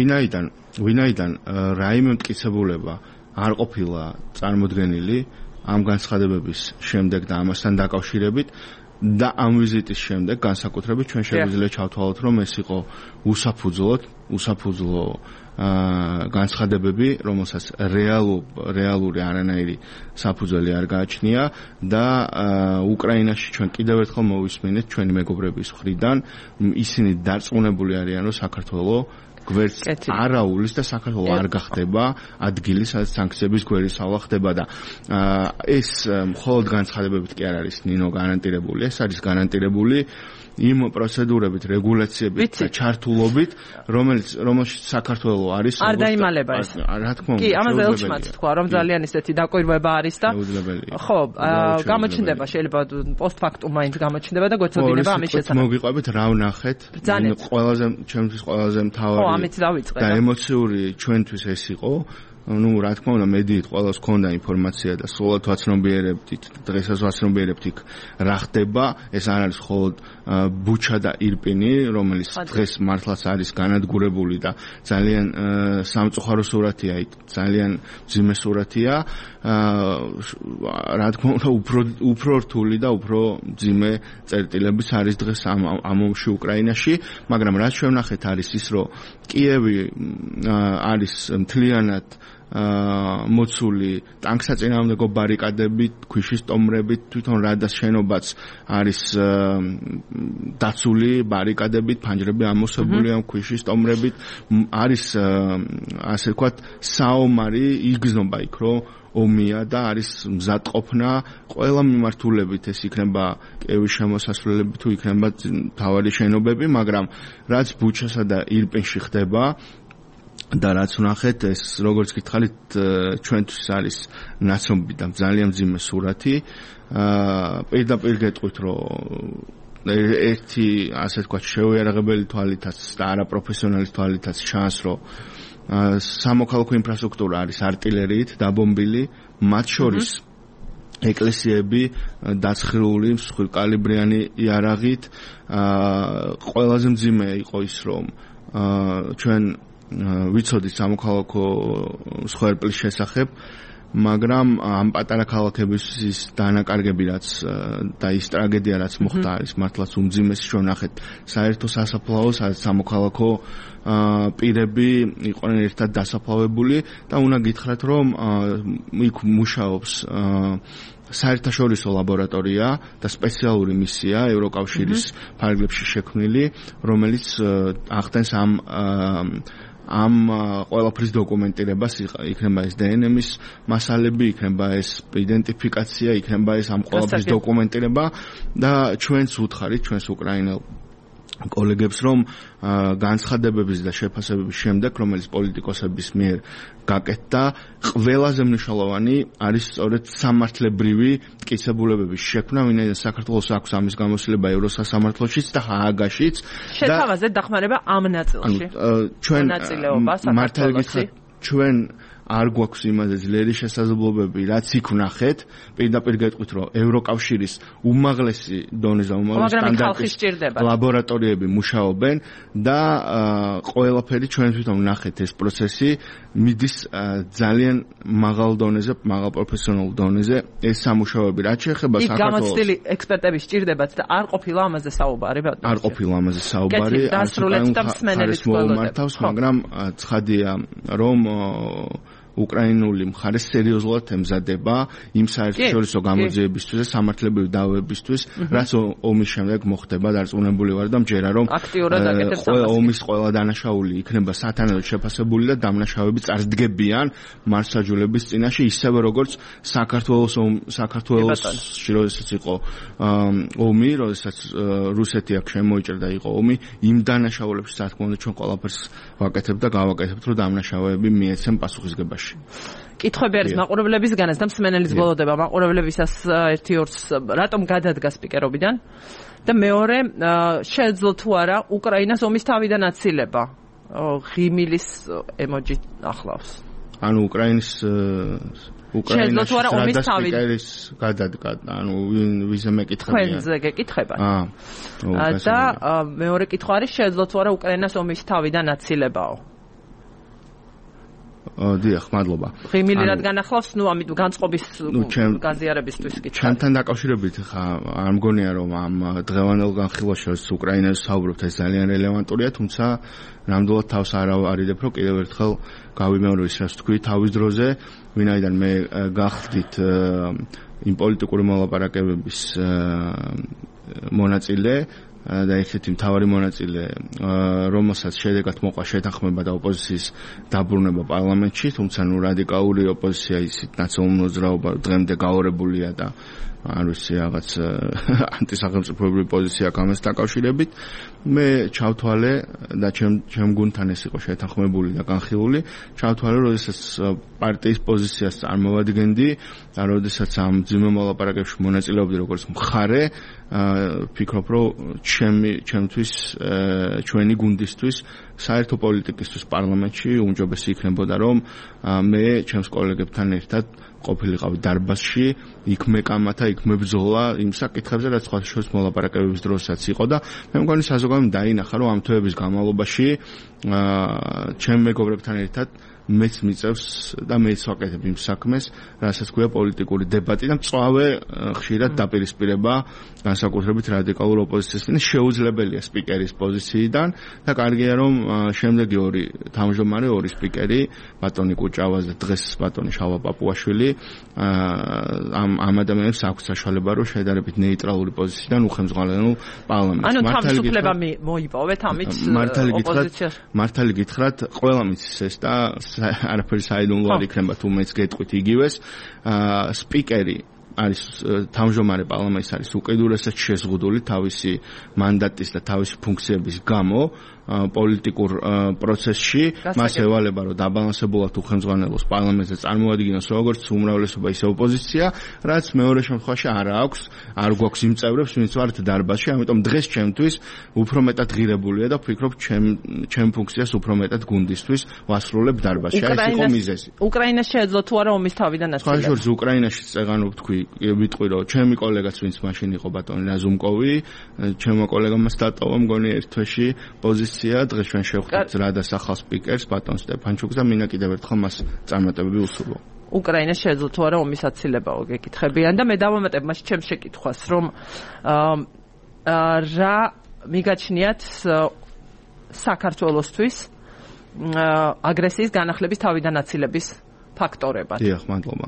ვინაიდან რაიმე მტკიცებულება არ ყოფილა წარმოდგენილი ამ განცხადებების შემდეგ და ამასთან დაკავშირებით და ამ ვიზიტის შემდეგ განსაკუთრებით ჩვენ შეგვიძლია ჩავთვალოთ, რომ ეს იყო უსაფუძვლო განცხადებები, რომელსაც რეალური არანაირი საფუძველი არ გააჩნია და უკრაინაში ჩვენ კიდევ ერთხელ მოვისმინეთ ჩვენი მეგობრების მხრიდან, ისინი დარწმუნებული არიან, რომ საქართველოს გვერდს არაულის და საქართველოს არ გახდება ადგილი, სადაც სანქციების გვერდისავლა ხდება და ეს მხოლოდ განცხადებებით კი არ არის ნინო გარანტირებული, ეს არის გარანტირებული იმ პროცედურებით, რეგულაციებით და ჩართულობით, რომელშიც საქართველოს არის
არ დაიმალება ეს.
რა თქმა უნდა.
კი, ამაზე ელჩმაც თქვა, რომ ძალიან ისეთი დაკვირვება არის და ხო, გამოჩნდება შეიძლება პოსტფაქტუმ მაინც გამოჩნდება და გვეცოდინება ამის შესახებ.
მოგიყვებით რა ვნახეთ? ჩემთვის ყველაზე მთავარი და ემოციური ჩვენთვის ეს იყო. Ну, რა თქმა უნდა, მედიით ყველას ჰქონდა ინფორმაცია და სულად ვაცნობიერებდით, დღესაც ვაცნობიერებთ იქ რა ხდება. ეს არ არის მხოლოდ ბუჩა და ირპინი, რომელიც დღეს მართლაც არის განადგურებული და ძალიან სამწუხარო სურათია იქ, ძალიან მძიმე სურათია. რა თქმა უნდა, უფრო რთული და უფრო მძიმე წერტილებიც არის დღეს ამ ომში უკრაინაში, მაგრამ რაც ჩვენ ვნახეთ არის ის, რომ კიევი არის მთლიანად მოცული ტანკსაწინააღმდეგო ბარიკადებით, ქვიშის ტომრებით, თვითონ რადას შენობაც არის დაცული ბარიკადებით, ფანჯრები ამოსებული ამ ქვიშის ტომრებით, არის ასე ვთქვათ საომარი იგზნობა იქ, რომ ომია და არის მზადყოფნა ყველა მიმართულებით, ეს იქნება კიევის შემოსასვლელები თუ იქნება მთავარი შენობები, მაგრამ რაც ბუჩასა და ირპინში ხდება და რაც ვნახეთ, ეს როგორც გითხარით, ჩვენთვის არის ნაცნობი და ძალიან მძიმე სურათი. პირდაპირ გეტყვით, რომ ერთი ასე ვთქვათ შეუიარაღებელი თვალითაც და არაპროფესიონალის თვალითაც ჩანს, რომ სამოქალაქო ინფრასტრუქტურა არის არტილერიით დაბომბილი, მათ შორის ეკლესიები დაცხრიული მსხვილკალიბრიანი იარაღით ყველაზე მძიმე იყო ის რომ ჩვენ ვიცოდით სამოქალაქო მსხვერპლის შესახებ მაგრამ ამ პატარა ქალაქების დანაკარგები რაც და ის ტრაგედია რაც მოხდა არის მართლაც უმძიმესი ჩვენ ნახეთ საერთო სასაფლაო სამოქალაქო პირები იყვნენ ერთად დასაფლავებული და უნდა გითხრათ რომ იქ მუშაობს საერთაშორისო ლაბორატორია და სპეციალური მისია ევროკავშირის ფარგლებში შექმნილი რომელიც ახდენს ამ ყველაფრის დოკუმენტირებას იქნება ეს დნმ-ის მასალები, იქნება ეს იდენტიფიკაცია, იქნება ეს ამ ყველაფრის დოკუმენტირება და ჩვენს უთხარით, ჩვენს უკრაინელ კოლეგებს რომ განცხადებების და შეფასებების შემდეგ რომელიც პოლიტიკოსების მიერ გაკეთდა ყველაზე მნიშვნელოვანი არის სწორედ სამართლებრივი მტკიცებულებების შექმნა ვინაიდან საქართველოს აქვს ამის გამოცდილება ევროსასამართლოშიც და ჰააგაშიც
შეთავაზე დახმარება ამ ნაწილში
ჩვენ მართალი გითხრათ ჩვენ არ გვაქვს იმაზე ძლიერი შესაძლებლობები, რაც იქ ვნახეთ, პირდაპირ გეტყვით, რომ ევროკავშირის უმაღლესი დონეზე, უმაღლესი სტანდარტის ლაბორატორიები მუშაობენ და ყველაფერი ჩვენ თვითონ ვნახეთ ეს პროცესი მიდის ძალიან მაღალ დონეზე, მაღალ პროფესიონალურ დონეზე ეს სამუშაოები, რაც შეეხება საქართველოს.
იქ გამოცდილი ექსპერტების სჭირდებათ და არ ყოფილა ამაზე საუბარი, ბატონო.
არ ყოფილა ამაზე საუბარი,
დასრულეთ და მსმენელიც
გველოდებით, მაგრამ ცხადია, რომ უკრაინული მხარე სერიოზულად ემზადება იმ საერთაშორისო გამოძიებისთვის და სამართლებრივი დავებისთვის, რაც ომის შემდეგ მოხდება დარწმუნებული ვარ და მჯერა რომ ომის ყველა დანაშაული იქნება სათანადოდ შეფასებული და დამნაშავეები წარდგებიან მართლმსაჯულების წინაშე ისევე როგორც საქართველოსში როდესაც იყო ომი, როდესაც რუსეთი აქ შემოიჭრა იყო ომი, იმ დანაშაულებში რა თქმა უნდა ჩვენ ყველაფერს ვაკეთებთ და გავაკეთებთ რომ დამნაშავეები მიეცემ პასუხისგებაში.
კითხვები არის მაყურებლებისგანაც და მსმენელის ბოლოდება მაყურებლებისას 1-2-ს რატომ გადადგა სპიკერობიდან და მეორე შეეძლო თუ არა უკრაინას ომის თავიდან აცილება ღიმილის ემოჯი ახლავს
ანუ უკრაინის სპიკერის გადადგა ანუ ვიზე მეკითხებია
თქვენზე გეკითხება და მეორე კითხვა არის შეეძლო თუ არა უკრაინას ომის თავიდან აცილებაო
დიახ, მადლობა.
ღიმილი რადგან ახლავს, ამით განწყობის გაზიარებისთვის კითხვა.
ჩვენთან დაკავშირებით ხა არ მგონია რომ ამ დღევანდელ განხილვაში რაც უკრაინაზე საუბრობთ ეს ძალიან რელევანტურია, თუმცა ნამდვილად თავს არ არიდებ რომ კიდევ ერთხელ გავიმეორო ის რაც თქვი თავის დროზე, ვინაიდან მე გახდით იმ პოლიტიკური მოლაპარაკებების მონაწილე და ერთ-ერთი მთავარი მონაწილე, რომელსაც შედეგად მოყვა შეთანხმება და ოპოზიციის დაბრუნება პარლამენტში, თუმცა რადიკალური ოპოზიცია ისიც ნაციონალურ მოძრაობა დღემდე გაორებულია და არ ვიცი რაღაც ანტისახელმწიფოებრივი პოზიცია აქვს ამას დაკავშირებით. მე ჩავთვალე და ჩემ გუნდთან ეს იყო შეთანხმებული და განხილული. ჩავთვალე, როდესაც პარტიის პოზიციას წარმოვადგენდი და როდესაც ამ ძიმე მოლაპარაკებებში მონაწილეობდი როგორც მხარე, ფიქრობ, რომ ჩემთვის, ჩვენი გუნდისთვის, საერთო პოლიტიკისთვის პარლამენტში უმჯობესი იქნებოდა, რომ მე ჩემს კოლეგებთან ერთად ყოფილიყავი დარბაზში, იქ მეკამათა, იქ მებრძოლა იმ საკითხებზე, რაც სხვა შორის მოლაპარაკებების დროსაც იყო და მე მგონი საზოგადოებამ დაინახა, რომ ამ თვეების განმავლობაში ჩემ მეგობრებთან ერთად მეც მიწევს და მეც ვაკეთებ იმ საქმეს, რასაც ქვია პოლიტიკური დებატი და მწვავე ხშირად დაპირისპირება განსაკუთრებით რადიკალურ ოპოზიციას მიერ შეუძლებელია სპიკერის პოზიციიდან და კარგია რომ შემდეგი ორი თავმჯდომარე, ორი სპიკერი, ბატონი კუჭავას და დღეს ბატონი შალვა პაპუაშვილი ამ ადამიანებს აქვს საშუალება რომ შედარებით ნეიტრალური პოზიციიდან უხელმძღვანელობენ პარლამენტს.
ანუ თავისუფლება მოიპოვეთ ამით ოპოზიციას.
მართალი გითხრათ, ყველა მიცის ეს და არაფერი საიდუმლო არ იქნება თუ მეც გეტყვით იგივეს. სპიკერი არის თავმჯდომარე პარლამენტის არის უკიდურესად შეზღუდული თავისი მანდატის და თავისი ფუნქციების გამო პოლიტიკურ პროცესში მას ევალება რომ დაბალანსებულად უხელმძღვანელოს პარლამენტზე წარმოადგინოს როგორც უმრავლესობა ისე ოპოზიცია, რაც მეორე შემთხვევაში არ გვაქვს იმ წევრებს, ვინც ვართ დარბაზში, ამიტომ დღეს ჩემთვის უფრო მეტად ღირებულია და ვფიქრობ ჩემ ფუნქციას უფრო მეტად გუნდისთვის ვასრულებ დარბაზში. ეს იყო მიზეზი.
უკრაინას შეეძლო თუ არა ომის თავიდან აცილება?
ხაშურს უკრაინაში წეგანო ვიტყვი რომ ჩემი კოლეგაც ვინც მაშინ იყო ბატონი რაზუმკოვი, ჩემო კოლეგამაც დატოვა მგონი ერთ თვეში პოზიცია, დღეს ჩვენ შევხვდით რადას ახალ სპიკერს ბატონ სტეფანჩუკს და მინა კიდევ ერთხელ მას წარმატებები ვუსურვო.
უკრაინას შეეძლო თუ არა ომის აცილება გეკითხებიან და მე დავამატებ მას ჩემს შეკითხვას რომ რა მიგაჩნიათ საქართველოსთვის აგრესიის განახლების თავიდან აცილების ფაქტორებად.
დიახ, მადლობა.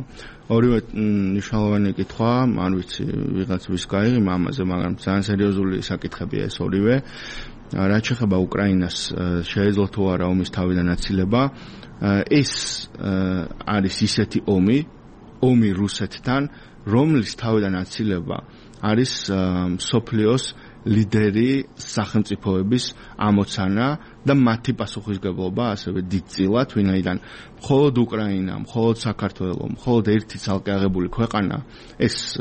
ორივე მნიშვნელოვანი კითხვა, არ ვიცი ვიღაც ვის გაიღიმა ამაზე, მაგრამ ძალიან სერიოზული საკითხებია ეს ორივე. რაც შეეხება უკრაინას შეეძლო თუ არა ომის თავიდან აცილება, ეს არის ისეთი ომი რუსეთთან, რომლის თავიდან აცილება არის მსოფლიოს ლიდერი სახელმწიფოების ამოცანა და მათი პასუხისგებლობა ასევე დიდწილად, ვინაიდან მხოლოდ უკრაინა, მხოლოდ საქართველო, მხოლოდ ერთი ცალკე აღებული ქვეყანა, ეს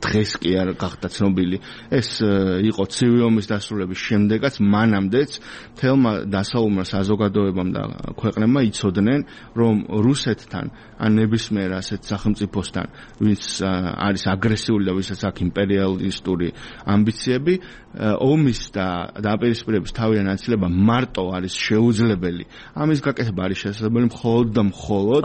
დღეს კი არ გახდა ცნობილი, ეს იყო ცივი ომის დასრულების შემდეგაც, მანამდეც მთელმა დასავლურმა საზოგადოებამ და ქვეყნებმა იცოდნენ, რომ რუსეთთან ან ნებისმიერ ასეთ სახელმწიფოსთან, ვინც არის აგრესიული და ვისაც აქვს იმპერიალისტური ამბიციები, ომის და დაპირისპირების თავიდან აცილება მარტო არის შეუძლებელი. ამის გაკეთება არის შესაძლებელი მხოლოდ და მხოლოდ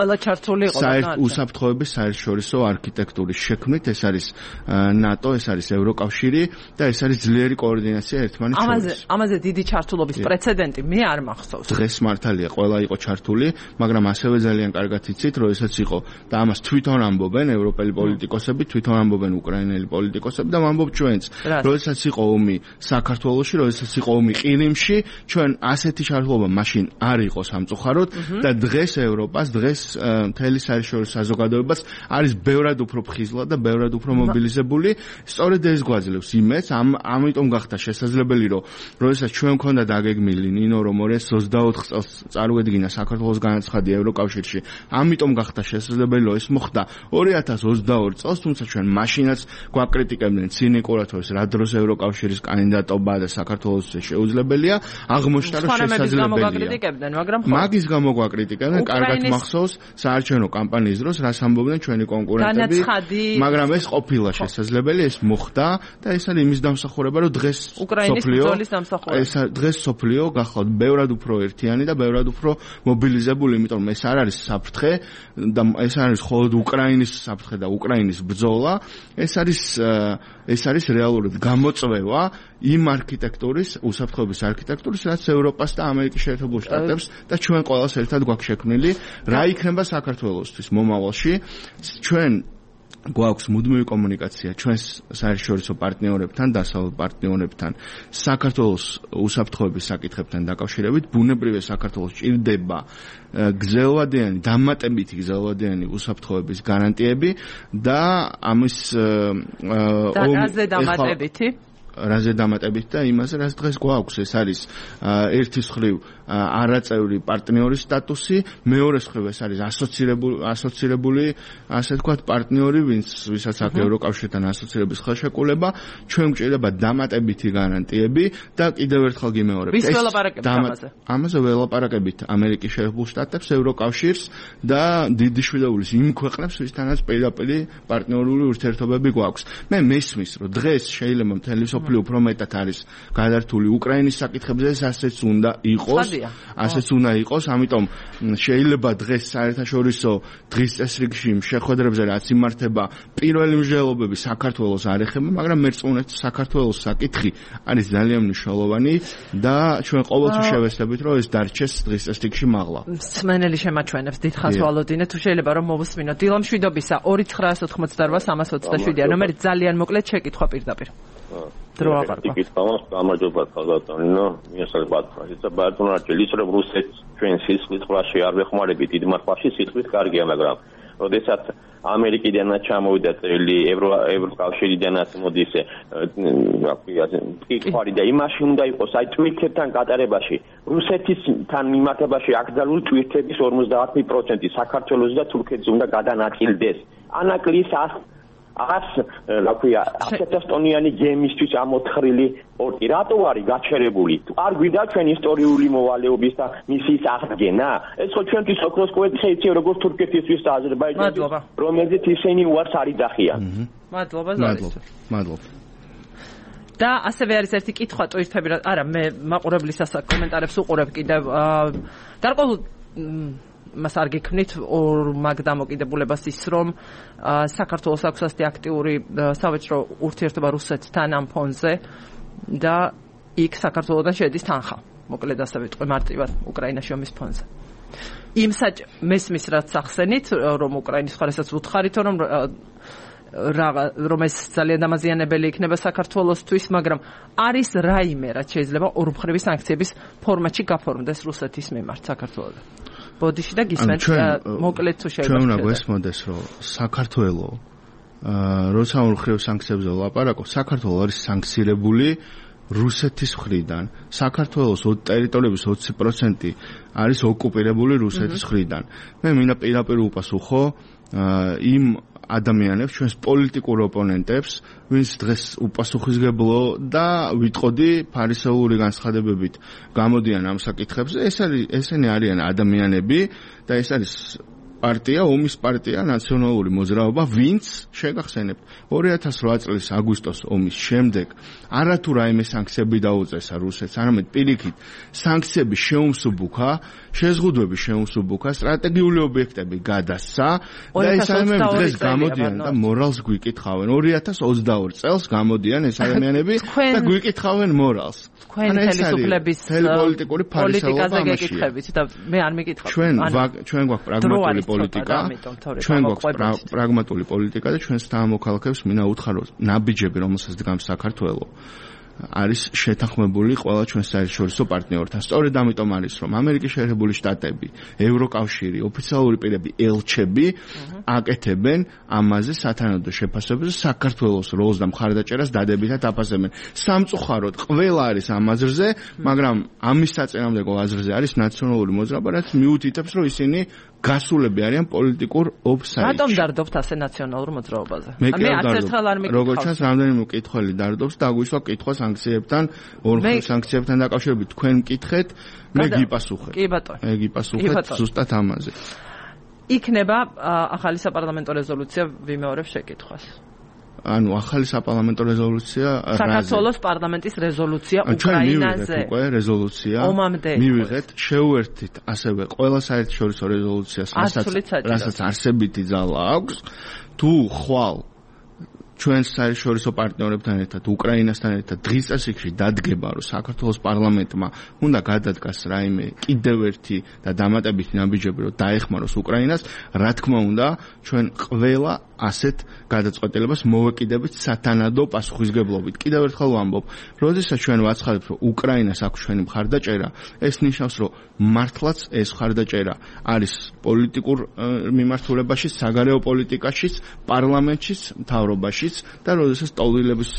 უსაფრთხოების საერთაშორისო არქიტექტურის შექმნით, ეს არის ნატო, ეს არის ევროკავშირი და ეს არის ძლიერი კოორდინაცია ერთმანეთს შორის.
ამაზე დიდი ჩართულობის პრეცედენტი მე არ მახსოვს.
დღეს მართალია, ყველა იყო ჩართული, მაგრამ ასევე ძალიან კარგად იცით, რომ ესაც იყო და ამას თვითონ ამბობენ ევროპელი პოლიტიკოსები, თვითონ ამბობენ უკრაინელი პოლიტიკოსები და ამბობ ჩვენც, როდესაც იყო ომი საქართველოში, როდესაც იყო ომი ყირიმში, ჩვენ ასეთი ჩართულობა მაშინ არ იყო სამწუხაროდ და დღეს ევროპას, დღეს მთელი საერთაშორისო საზოგადოებას არის ბევრად უფრო ფხიზლა და ბევრად უფრო მობილიზებული. სწორედ ეს გვაძლევს იმედს, ამიტომ გახდა შესაძლებელი, რომ როდესაც ჩვენ მქონდა დაგეგმილი ნინო, რომ 2024 წელს წარუედგინა საქართველოს განაცხადი ევროკავშირში, ამიტომ გახდა შესაძლებელი, რომ ეს მოხდა 2022 წელს, თუმცა ჩვენ მაშინაც გვაკრიტიკებდნენ ცინიკურად, რომ რა დროს ევროკავშირის კანდიდატობა და საქართველოს შეუძლებელია, აღმოჩნდა რომ შესაძლებელია. მაგის გამო გვაკრიტიკებდნენ, კარგად მახსოვს საარჩევნო კამპანიის დროს რას ამბობდნენ ჩვენი კონკურენტები, მაგრამ ეს ყოფილა შესაძლებელი, ეს მოხდა და ეს არის იმის დამსახურება, რომ დღეს სოფლიო გახლავთ ბევრად უფრო ერთიანი და ბევრად უფრო მობილიზებული, იმიტომ რომ ეს არ არის საფრთხე და ეს არის მხოლოდ უკრაინის საფრთხე და უკრაინის ბრძოლა, ეს არის რეალურად გამოწვევა იმ არქიტექტურის, უსაფრთხოების არქიტექტურის, რაც ევროპას და ამერიკის შეერთებულ შტატებს და ჩვენ ყველას ერთად გვაქვს შექმნილი, რა იქნება საქართველოსთვის მომავალში. ჩვენ გვაქვს მუდმივი კომუნიკაცია ჩვენს საერთაშორისო პარტნიორებთან, დასავლურ პარტნიორებთან, საქართველოს უსაფრთხოების საკითხებთან დაკავშირებით. ბუნებრივია საქართველოს ჭირდება გრძელვადიანი, დამატებითი გრძელვადიანი უსაფრთხოების გარანტიები და ამის რაზე დამატებით და იმაზე, რაც დღეს გვაქვს, ეს არის ერთის მხრივ არაწევრი პარტნიორის სტატუსი, მეორე მხრივ ეს არის ასოცირებული, ასე ვთქვათ, პარტნიორი, ვისაც აქვს ევროკავშირთან ასოცირების ხელშეკრულება, ჩვენ გვჭირდება დამატებითი გარანტიები და კიდევ ერთხელ გიმეორებ.
ვის ველაპარაკებით ამაზე?
ამაზე ველაპარაკებით ამერიკის შეერთებულ შტატებს, ევროკავშირს და დიდი შვილეულის იმ ქვეყნებს, ვისთანაც პირდაპირ პარტნიორული ურთიერთობები გვაქვს. მე მესმის, რომ დღეს შეიძლება მთელი უფრო მეტად არის გადართული უკრაინის საკითხებზე, ასეც უნდა იყოს, ამიტომ შეიძლება დღეს საერთაშორისო დღის წესრიგში შეხვედრებზე რაც იმართება, პირველი მსჯელობები საქართველოს არ ეხება, მაგრამ მერწმუნეთ საქართველოს საკითხი არის ძალიან მნიშვნელოვანი და ჩვენ ყოველთვის შევეცდებით, რომ ეს დარჩეს დღის წესრიგში მაღლა.
მსმენელი შემაჩვენებს, დიდხანს ვალოდინე, თუ შეიძლება რომ მოვუსმინოთ. დილა მშვიდობისა 2988 ნომერი ძალიან მოკლედ შეკითხვა პირდაპირ.
გამარჯობა ხალხო, მიესალმებით ფრაზა ბატონო, ის რომ რუსეთს ჩვენ სისხლის ყრაში არ ვეხმარებით, დიდ მარხვაში სისხლის კარგია, მაგრამ როდესაც ამერიკიდანაც ჩამოვიდა წელი, ევროკავშირიდანაც მოდის მტკიცვარი და იმაში უნდა იყოს, აი ტვირთებთან გატარებაში, რუსეთისთან მიმართებაში აკრძალული ტვირთების 50% საქართველოს და თურქეთის უნდა გადანაწილდეს. ანაკლის 100 ტონიანი გემისთვის ამოთხრილი პორტი. რატო არის გაჩერებული? არ გვიდა ჩვენ ისტორიული მოვალეობის და მისის აღდგენა? ეს ხო ჩვენთვის ოქროს კვერთხი იცი როგორც თურქეთისთვის და აზერბაიჯანისთვის, რომელზეც ისინი უარს არ იძახიან.
მადლობა. და ასევე არის ერთი კითხვა ტვირთები, არა მე მაყურებლის კომენტარებს უყურებ კიდევ გარკვეულ მას არ გიქმნით ორ მაგ დამოკიდებულებას ის რომ საქართველოს აქვს ასეთი აქტიური სავაჭრო ურთიერთობა რუსეთთან ამ ფონზე და იქ საქართველოსთან შედის თანხა მოკლედ ასე ვიტყვი მარტივად უკრაინაში ომის ფონზე იმ მესმის რაც ახსენით რომ უკრაინის ხარესაც უთხარითო რომ ეს ძალიან დამაზიანებელი იქნება საქართველოსთვის მაგრამ არის რაიმე რაც შეიძლება ორმხრივი სანქციების ფორმატში გაფორმდეს რუსეთის მიმართ საქართველოს ბოდიში და გისმენთ მოკლედ თუ შეიძლება
ჩვენ უნდა გვესმოდეს რომ საქართველო როცა ორმხრივ სანქციებზე ვლაპარაკობ საქართველო არის სანქცირებული რუსეთის მხრიდან საქართველოს ტერიტორიების 20% არის ოკუპირებული რუსეთის მხრიდან მე მინდა პირდაპირ უპასუხო იმ ადამიანებს ჩვენს პოლიტიკურ ოპონენტებს ვინც დღეს უპასუხისგებლო და ვიტყოდი ფარისეულური განცხადებებით გამოდიან ამ საკითხებზე ესენი არიან ადამიანები და ეს არის პარტია ომის პარტია ნაციონალური მოძრაობა ვინც შეგახსენებთ 2008 წლის აგვისტოს ომის შემდეგ არათუ რაიმე სანქციები დაუწესა რუსეთს არამედ პირიქით სანქციები შეუმსუბუქა შეზღუდვები შეუმსუბუქა სტრატეგიული ობიექტები გადასცა და ეს ადამიანები დღეს გამოდიან და მორალს გვიკითხავენ 2022 წელს გამოდიან ეს ადამიანები და გვიკითხავენ მორალს
თქვენ ხელისუფლების
პოლიტიკური
პოლიტიკაზე გეკითხებით და მე არ მეკითხავ
ჩვენ გვაქვს პრაგმატული პოლიტიკა ჩვენ გვაქვს პრაგმატული პოლიტიკა და ჩვენს თანამოქალაქეებს მინდა უთხრათ ნაბიჯები რომელსაც დგამს საქართველოს არის შეთანხმებული ყველა ჩვენს საერთაშორისო პარტნიორთან. სწორედ ამიტომ არის რომ ამერიკის შეერთებული შტატები, ევროკავშირი, ოფიციალური პირები, ელჩები აკეთებენ ამაზე სათანადო შეფასებებს საქართველოს როლს და მხარდაჭერას დადებითად აფასებენ. სამწუხაროდ ყველა არის ამ აზრზე, მაგრამ ამის საწინააღმდეგო აზრზე არის ნაციონალური მოძრაობა, რაც მიუთითებს რომ ისინი გასულები არიან პოლიტიკურ ოფსაიდში.
რატომ დარდობთ ასე ნაციონალურ მოძრაობაზე?
მე როგორც ჩანს, რამდენიმე მკითხველი დარდობს და აგვისვა კითხვა სანქციებთან, ორმხრივ სანქციებთან დაკავშირებით თქვენ მკითხეთ, მე გიპასუხებ.
კი ბატონო.
მე გიპასუხებ ზუსტად ამაზე.
იქნება ახალი საპარლამენტო რეზოლუცია ვიმეორებ შეკითხვას.
ანუ ახალი საპარლამენტო რეზოლუცია
საქართველოს პარლამენტის რეზოლუცია უკრაინაზე.
უკვე რეზოლუცია მივიღეთ, შეუერთდით ასევე ყველა საერთაშორისო რეზოლუციას, რასაც არსებითი ძალა აქვს. თუ ხვალ ჩვენს საერთაშორისო პარტნიორებთან ერთად, უკრაინასთან ერთად დღის წესრიგში დადგება, რომ საქართველოს პარლამენტმა უნდა გადადგას რაიმე კიდევ ერთი და დამატებითი ნაბიჯები, რომ დაეხმაროს უკრაინას, რა თქმა უნდა, ჩვენ ყველა ასეთ გადაწყვეტილებას მოვეკიდებით სათანადო პასუხისგებლობით. კიდევ ერთხელ ვამბობ, როდესაც ჩვენ ვაცხადებთ, რომ უკრაინას აქვს ჩვენი მხარდაჭერა, ეს ნიშნავს, რომ მართლაც ეს მხარდაჭერა არის პოლიტიკურ მიმართულებაში, საგარეო პოლიტიკაში, პარლამენტში, მთავრობაში და როდესაც ტოლილების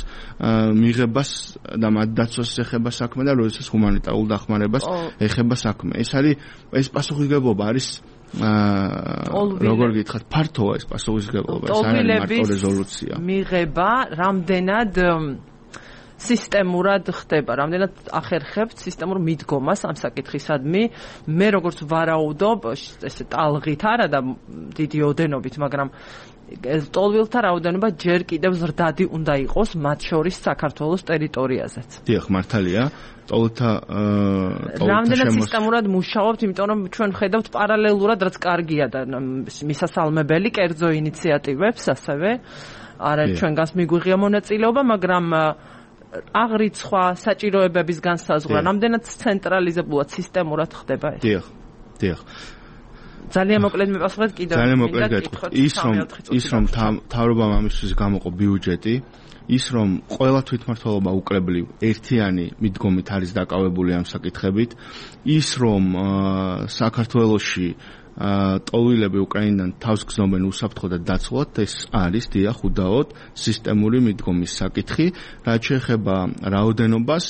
მიღებას და მათ დაცვას ეხება საქმე და როდესაც ჰუმანიტარულ დახმარებას ეხება საქმე. ეს არის ეს პასუხისგებლობა არის როგორ გითხრათ ფართოა ეს პასუხისგებლობა ეს არის მარტო რეზოლუცია. მიღება
რამდენად სისტემურად ხდება, რამდენად ახერხებთ სისტემურ მიდგომას ამ საკითხისადმი. მე როგორც ვარაუდობ, ესე ტალღით არა და დიდი ოდენობით, მაგრამ ტოლვილთა რაოდენობა ჯერ კიდევ ზრდადი უნდა იყოს მათ შორის საქართველოს ტერიტორიაზეც.
დიახ, მართალია. ტოლვილთა
რამდენად სისტემურად მუშაობთ, იმიტომ რომ ჩვენ ხედავთ პარალელურად, რაც კარგია და მისასალმებელი კერძო ინიციატივებს ასევე. არა ჩვენგანს მიგვიღია მონაწილეობა, მაგრამ აღრიცხვა, საჭიროებების განსაზღვრა, რამდენად ცენტრალიზებულად სისტემურად ხდება ეს?
დიახ.
ძალიან მოკლედ მიპასუხეთ კიდევ
ძალიან მოკლედ გეტყვით ის რომ მთავრობამ ამისთვის გამოყო ბიუჯეტი ის რომ ყველა თვითმმართველობა უკრებლივ ერთიანი მიდგომით არის დაკავებული ამ საკითხებით ის რომ საქართველოში ტოლვილები უკრაინიდან თავს გზნობენ უსაფრთხო და დაცულად, ეს არის დიახ უდაოდ სისტემური მიდგომის საკითხი, რაც შეეხება რაოდენობას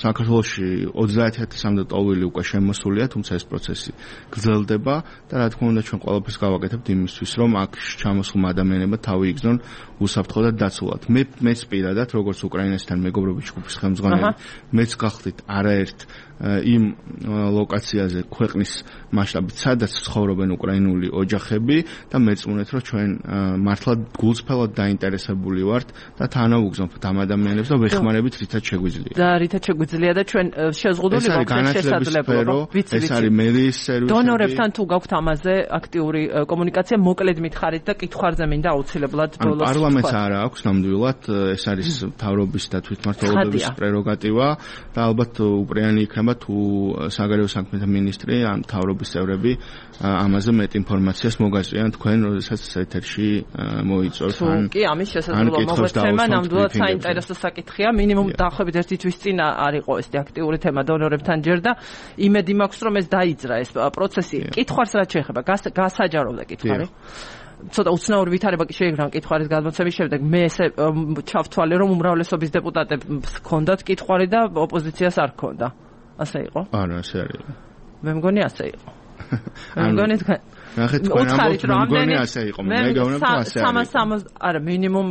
საქართველოში 30000-მდე ტოლვილი უკვე შემოსულია, თუმცა ეს პროცესი გრძელდება და რა თქმა უნდა ჩვენ ყველაფერს გავაკეთებთ იმისთვის, რომ აქ ჩამოსულმა ადამიანებმა თავი იგზნონ უსაფრთხო და დაცულად. მეც პირადად, როგორც უკრაინასთან მეგობრობის ჯგუფის ხელმძღვანელი, მეც გახდით არაერთ იმ ლოკაციაზე ქვეყნის მასშტაბით, სადაც ცხოვრობენ უკრაინული ოჯახები და მეწმუნეთ, რომ ჩვენ მართლა გულწრფელად დაინტერესებული ვართ და თანავუგზნობთ ამ ადამიანებს და ვეხმარებით რითაც შეგვიძლია.
და რითაც შეგვიძლია და ჩვენ შეზღუდული ვახდით შესაძლებლობა.
ეს არის მერის სერვისები.
დონორებთან თუ გაქვთ ამაზე აქტიური კომუნიკაცია, მოკლედ მითხარით და კითხვარზე მინდა აუცილებლად ბოლოს.
პარლამენტს არა აქვს ნამდვილად, ეს არის მთავრობის და თვითმმართველობის პრეროგატივა და ალბათ უპრეანი იქნება თუ საგარეო საქმეთა მინისტრი ან მთავრობის წევრები ამაზე მეტ ინფორმაციას მოგაწვიან თქვენ, როდესაც ეთერში მოიწვევთ ან
კი, ამის შესაძლებლობა მოგვეცემა, ნამდვილად საინტერესო საკითხია, მინიმუმ დაახლოებით ერთი თვის წინ არ იყო ეს აქტიური თემა დონორებთან ჯერ და იმედი მაქვს, რომ ეს დაიძრა ეს პროცესი. კითხვარს რაც შეეხება, გასაჯაროვდა კითხარი. ცოტა უცნაური ვითარება კი შეიგრა კითხვის გადმოცემის შემდეგ. მე ესე ჩავთვალე, რომ უმრავლესობის დეპუტატებს ჰქონდათ კითხვარი და ოპოზიციას არ ჰქონდა. ასე იყო?
არა, ასე არ იყო.
მე მგონი ასე იყო. მე მგონი თქვენ
ნახეთ თქვენ ამბობთ, მე მგონი ასე იყო. მე გეუბნები რომ ასე არის.
360 არა, მინიმუმ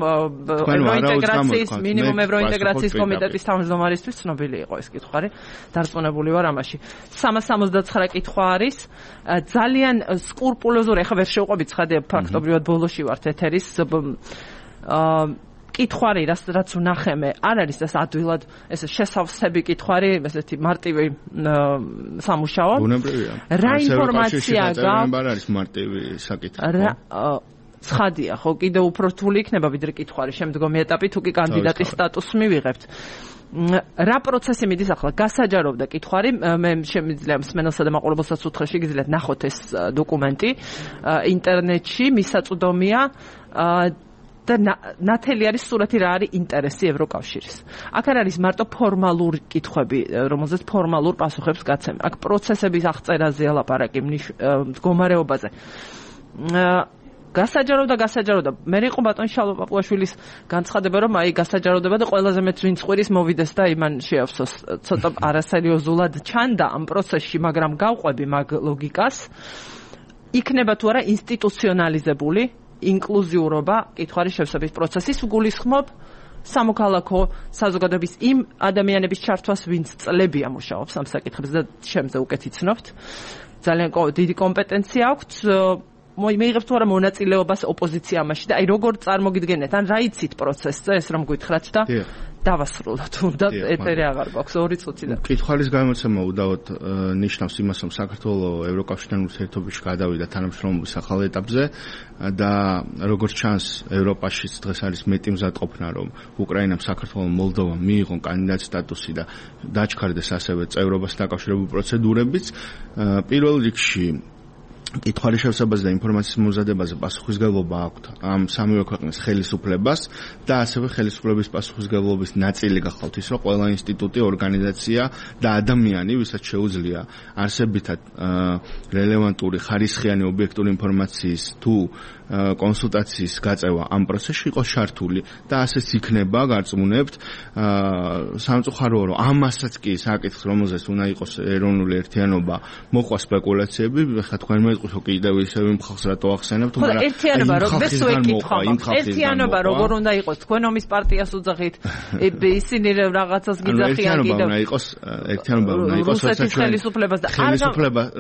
ევროინტეგრაციის კომიტეტის თავმჯდომარისთვის ცნობილი იყო ეს კითხვარი. დარწმუნებული ვარ ამაში. 369 კითხვა არის. ძალიან სკრუპულოზური, ახლა ვერ შევყვებით ცხადია, ფაქტობრივად ბოლოში ვართ ეთერის კითხვარი, რაც ვნახე, არ არის ეს ადვილად ეს შესავსები კითხვარი, ესეთი მარტივი სამუშაო.
ბუნებრივია.
რა ინფორმაცია გაქვს?
არ არის მარტივი საკითხი.
ცხადია, ხო, კიდევ უფრო რთული იქნება ვიდრე კითხვარი შემდგომი ეტაპი, თუ კი კანდიდატის სტატუსს მივიღებთ. რა პროცესი მიდის ახლა? გასაჯაროვდა კითხვარი, მე შემიძლია მსმენელსა და მაყურებელსაც უთხრა, შეგიძლიათ ნახოთ ეს დოკუმენტი ინტერნეტში, მისაწვდომია და ნათელი არის სურათი რა არის ინტერესი ევროკავშირის. აქ არ არის მარტო ფორმალური კითხვები, რომელზეც ფორმალურ პასუხებს გაცემა. აქ პროცესების აღწერაზეა ლაპარაკი, მდგომარეობაზე. გასაჯაროვდა. მე იყო ბატონ შალვა პაპუაშვილის განცხადება, რომ აი გასაჯაროვდება და ყველაზე მეც ვინც ყვირის მოვიდეს და იმან შეავსოს. ცოტა არასერიოზულად ჩანდა ამ პროცესში, მაგრამ გავყვები მაგ ლოგიკას. იქნება თუ არა ინსტიტუციონალიზებული ინკლუზიურობა კითხვის შევსების პროცესის გულისხმობ სამოქალაქო საზოგადოების იმ ადამიანების ჩართვას, ვინც წლებია მუშაობს ამ საკითხებზე და შემზე უკეთ იცნობთ. ძალიან დიდი კომპეტენცია აქვთ. მიიღებთ თუ არა მონაწილეობას ოპოზიცია ამაში და აი როგორ წარმოგიდგენთ, ან რა იცით პროცესზე, ეს რომ გითხრათ და დავასრულოთ, უნდა ეთერი აღარ გვაქვს 2 წუთი და
კითხვის გამოცემა უდავოდ ნიშნავს იმას, რომ საქართველოს ევროკავშირთან ურთიერთობაში გადავიდა თანამშრომლობის ახალ ეტაპზე და როგორც ჩანს, ევროპაშიც დღეს არის მეტი მზადყოფნა, რომ უკრაინამ, საქართველოს, მოლდოვამ მიიღონ კანდიდატ სტატუსი და დაჩქარდეს ასევე წევრობას დაკავშირებული პროცედურებიც. პირველ რიგში კითხვის შევსებაზე და ინფორმაციის მომზადებაზე პასუხისმგებლობა აქვთ ამ სამივე ქვეყნის ხელისუფლებას და ასევე ხელისუფლების პასუხისმგებლობის ნაწილი გახლავთ ის, რომ ყველა ინსტიტუტი, ორგანიზაცია და ადამიანი, ვისაც შეუძლია არსებითად რელევანტური, ხარისხიანი, ობიექტური ინფორმაციის თუ კონსულტაციის გაწევა ამ პროცესში იყოს ჩართული და ასეც იქნება, გარწმუნებთ, სამწუხაროა, რომ ამასაც კი საკითხს, რომელზეც უნდა იყოს ეროვნული ერთიანობა, მოყვა სპეკულაციები, ხა თქვენ მეტყვით კიდევ ისევ იმ ხალხს რატო ახსენებთ,
მაგრამ ერთიანობა როგორც ვეკითხვა, ერთიანობა როგორ უნდა იყოს, თქვენ ომის პარტიას უძახით, ისინი რაღაცას გიძახიან კიდევ.
ერთიანობა უნდა იყოს,
რუსეთის ხელისუფლებას და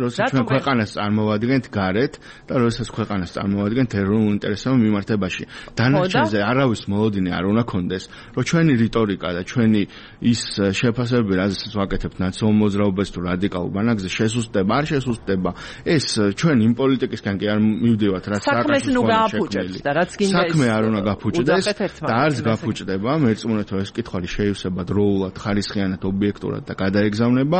როცა ჩვენ ქვეყანას წარმოვადგენთ გარეთ და როცა ქვეყანას წარმოვადგენთ ეროვნულ ინტერესებთან მიმართებაში. დანარჩენზე არავის მოლოდინი არ უნდა კონდეს, რომ ჩვენი რიტორიკა და ჩვენი ის შეფასებები, რაზეც ვაკეთებთ ნაციონალურ მოძრაობას თუ რადიკალურ ბანაკზე შესუსტება, არ შესუსტება, ეს ჩვენ იმ პოლიტიკისგან კი არ მივდივართ, რაც
საქმეს ნუ გააფუჭებს და რაც გინდა
საქმე არ უნდა გაფუჭდეს და არც გაფუჭდება, მეერწმუნეთ რომ ეს კითხვარი შეივსება დროულად, ხარისხიანად, ობიექტურად და გადაეგზავნება.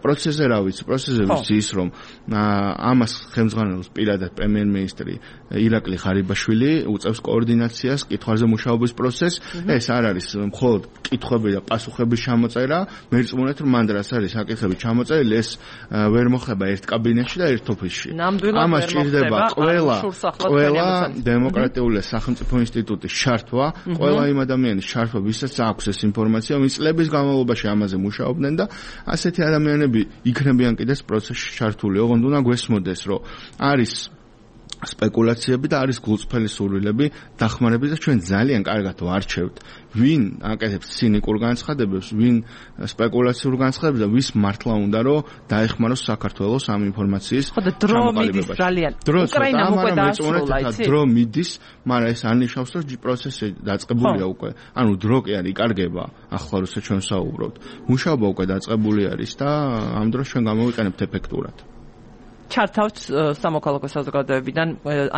პროცესზე რა ვიცი, პროცესზე ვიცი ის რომ ამას ხელმძღვანელობს პირადად პრემიერ-მინისტრი ირაკლი ღარიბაშვილი, უწევს კოორდინაციას, კითხვაზე მუშაობის პროცესს. ეს არ არის მხოლოდ კითხვები და პასუხების ჩამოწერა, მეერწმუნეთ რომ მანდ რაც არის საკითხები ჩამოწერილი, ეს ვერ მოხდება ერთ კაბინეტში და ერთ ოფისში. ამას ჭირდება ყველა დემოკრატიული სახელმწიფო ინსტიტუტის ჩართვა, ყველა იმ ადამიანის ჩართვა, ვისაც აქვს ეს ინფორმაცია, ვინც წლების განმავლობაში ამაზე მუშაობდნენ და ასეთი ადამიანები იქნებიან კიდეც პროცესში ჩართული. ოღონდ უნდა გვესმოდეს, რომ არის სპეკულაციები და არის გულწრფელი სურვილები დახმარების და ჩვენ ძალიან კარგად ვარჩევთ ვინ აკეთებს ცინიკურ განცხადებებს, ვინ სპეკულაციურ განცხადებებს და ვის მართლა უნდა რომ დაეხმაროს საქართველოს ამ ინფორმაციის
ჩამოყალიბებაში. უკრაინა უკვე დაასრულა, იცი?
დრო მიდის, მაგრამ ეს არ ნიშნავს რომ პროცესი დაწყებულია უკვე. ანუ დრო კი არ იკარგება, ახლა როცა ჩვენ საუბრობთ. მუშაობა უკვე დაწყებული არის და ამ დროს ჩვენ გამოვიყენებთ ეფექტურად.
ჩართავთ სამოქალაქო საზოგადოებიდან,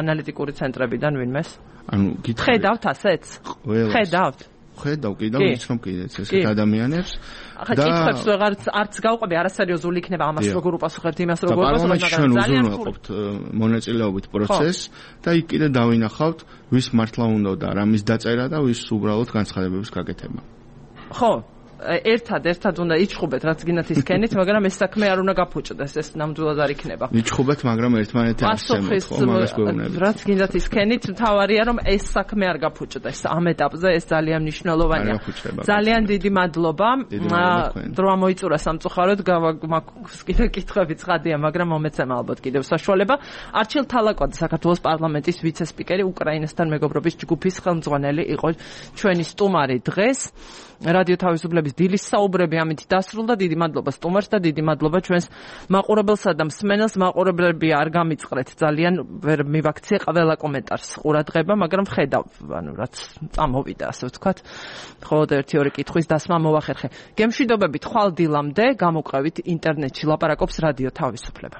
ანალიტიკური ცენტრებიდან ვინმეს?
ანუ
ხედავთ ასეც? ხედავთ?
ხედავ კიდევ ვიცნობ კიდეც ესეთ ადამიანებს
და კითხებს ვეღარც არც გავყვები, არასერიოზული იქნება ამას როგორ უპასუხებთ იმას როგორ
უპასუხებთ, მაგრამ ძალიან უზრუნველყოფთ მონაწილეობით პროცესს და იქ კიდე დავინახავთ ვის მართლა უნდა და რამის დაწერა და ვის უბრალოდ განცხადებების გაკეთება.
ხო ერთად უნდა იჩხუბეთ, რაც გინდათ ისქენით, მაგრამ ეს საქმე არ უნდა გაფუჭდეს, ეს ნამდვილად არ იქნება.
იჩხუბეთ, მაგრამ ერთმანეთი არ შემოხ, მაგას გვეუბნებით.
რაც გინდათ ისქენით, მთავარია რომ ეს საქმე არ გაფუჭდეს. ამ ეტაპზე ეს ძალიან მნიშვნელოვანია. ძალიან დიდი მადლობა. დრო ამოიწურა სამწუხაროდ, მაქვს კიდე კითხვები ცხადია, მაგრამ მომეცემა ალბათ კიდევ საშუალება. არჩილ თალაკვაძე, საქართველოს პარლამენტის ვიცე-სპიკერი, უკრაინასთან მეგობრობის ჯგუფის ხელმძღვანელი იყო ჩვენი სტუმარი დღეს. რადიო თავისუფლების დილის საუბრები ამით დასრულდა. დიდი მადლობა სტუმარს და დიდი მადლობა ჩვენს მაყურებელსა და მსმენელს. მაყურებლები არ გამიწყრეთ, ძალიან ვერ მივაქციე ყველა კომენტარს ყურადღება, მაგრამ ხედავ, ანუ რაც წამოვიდა, ასე ვთქვათ. მხოლოდ 1-2 კითხვის დასმა მოვახერხე. გემშვიდობებით, ხვალ დილამდე გამოვყევით ინტერნეტში ლაპარაკობს რადიო თავისუფლება.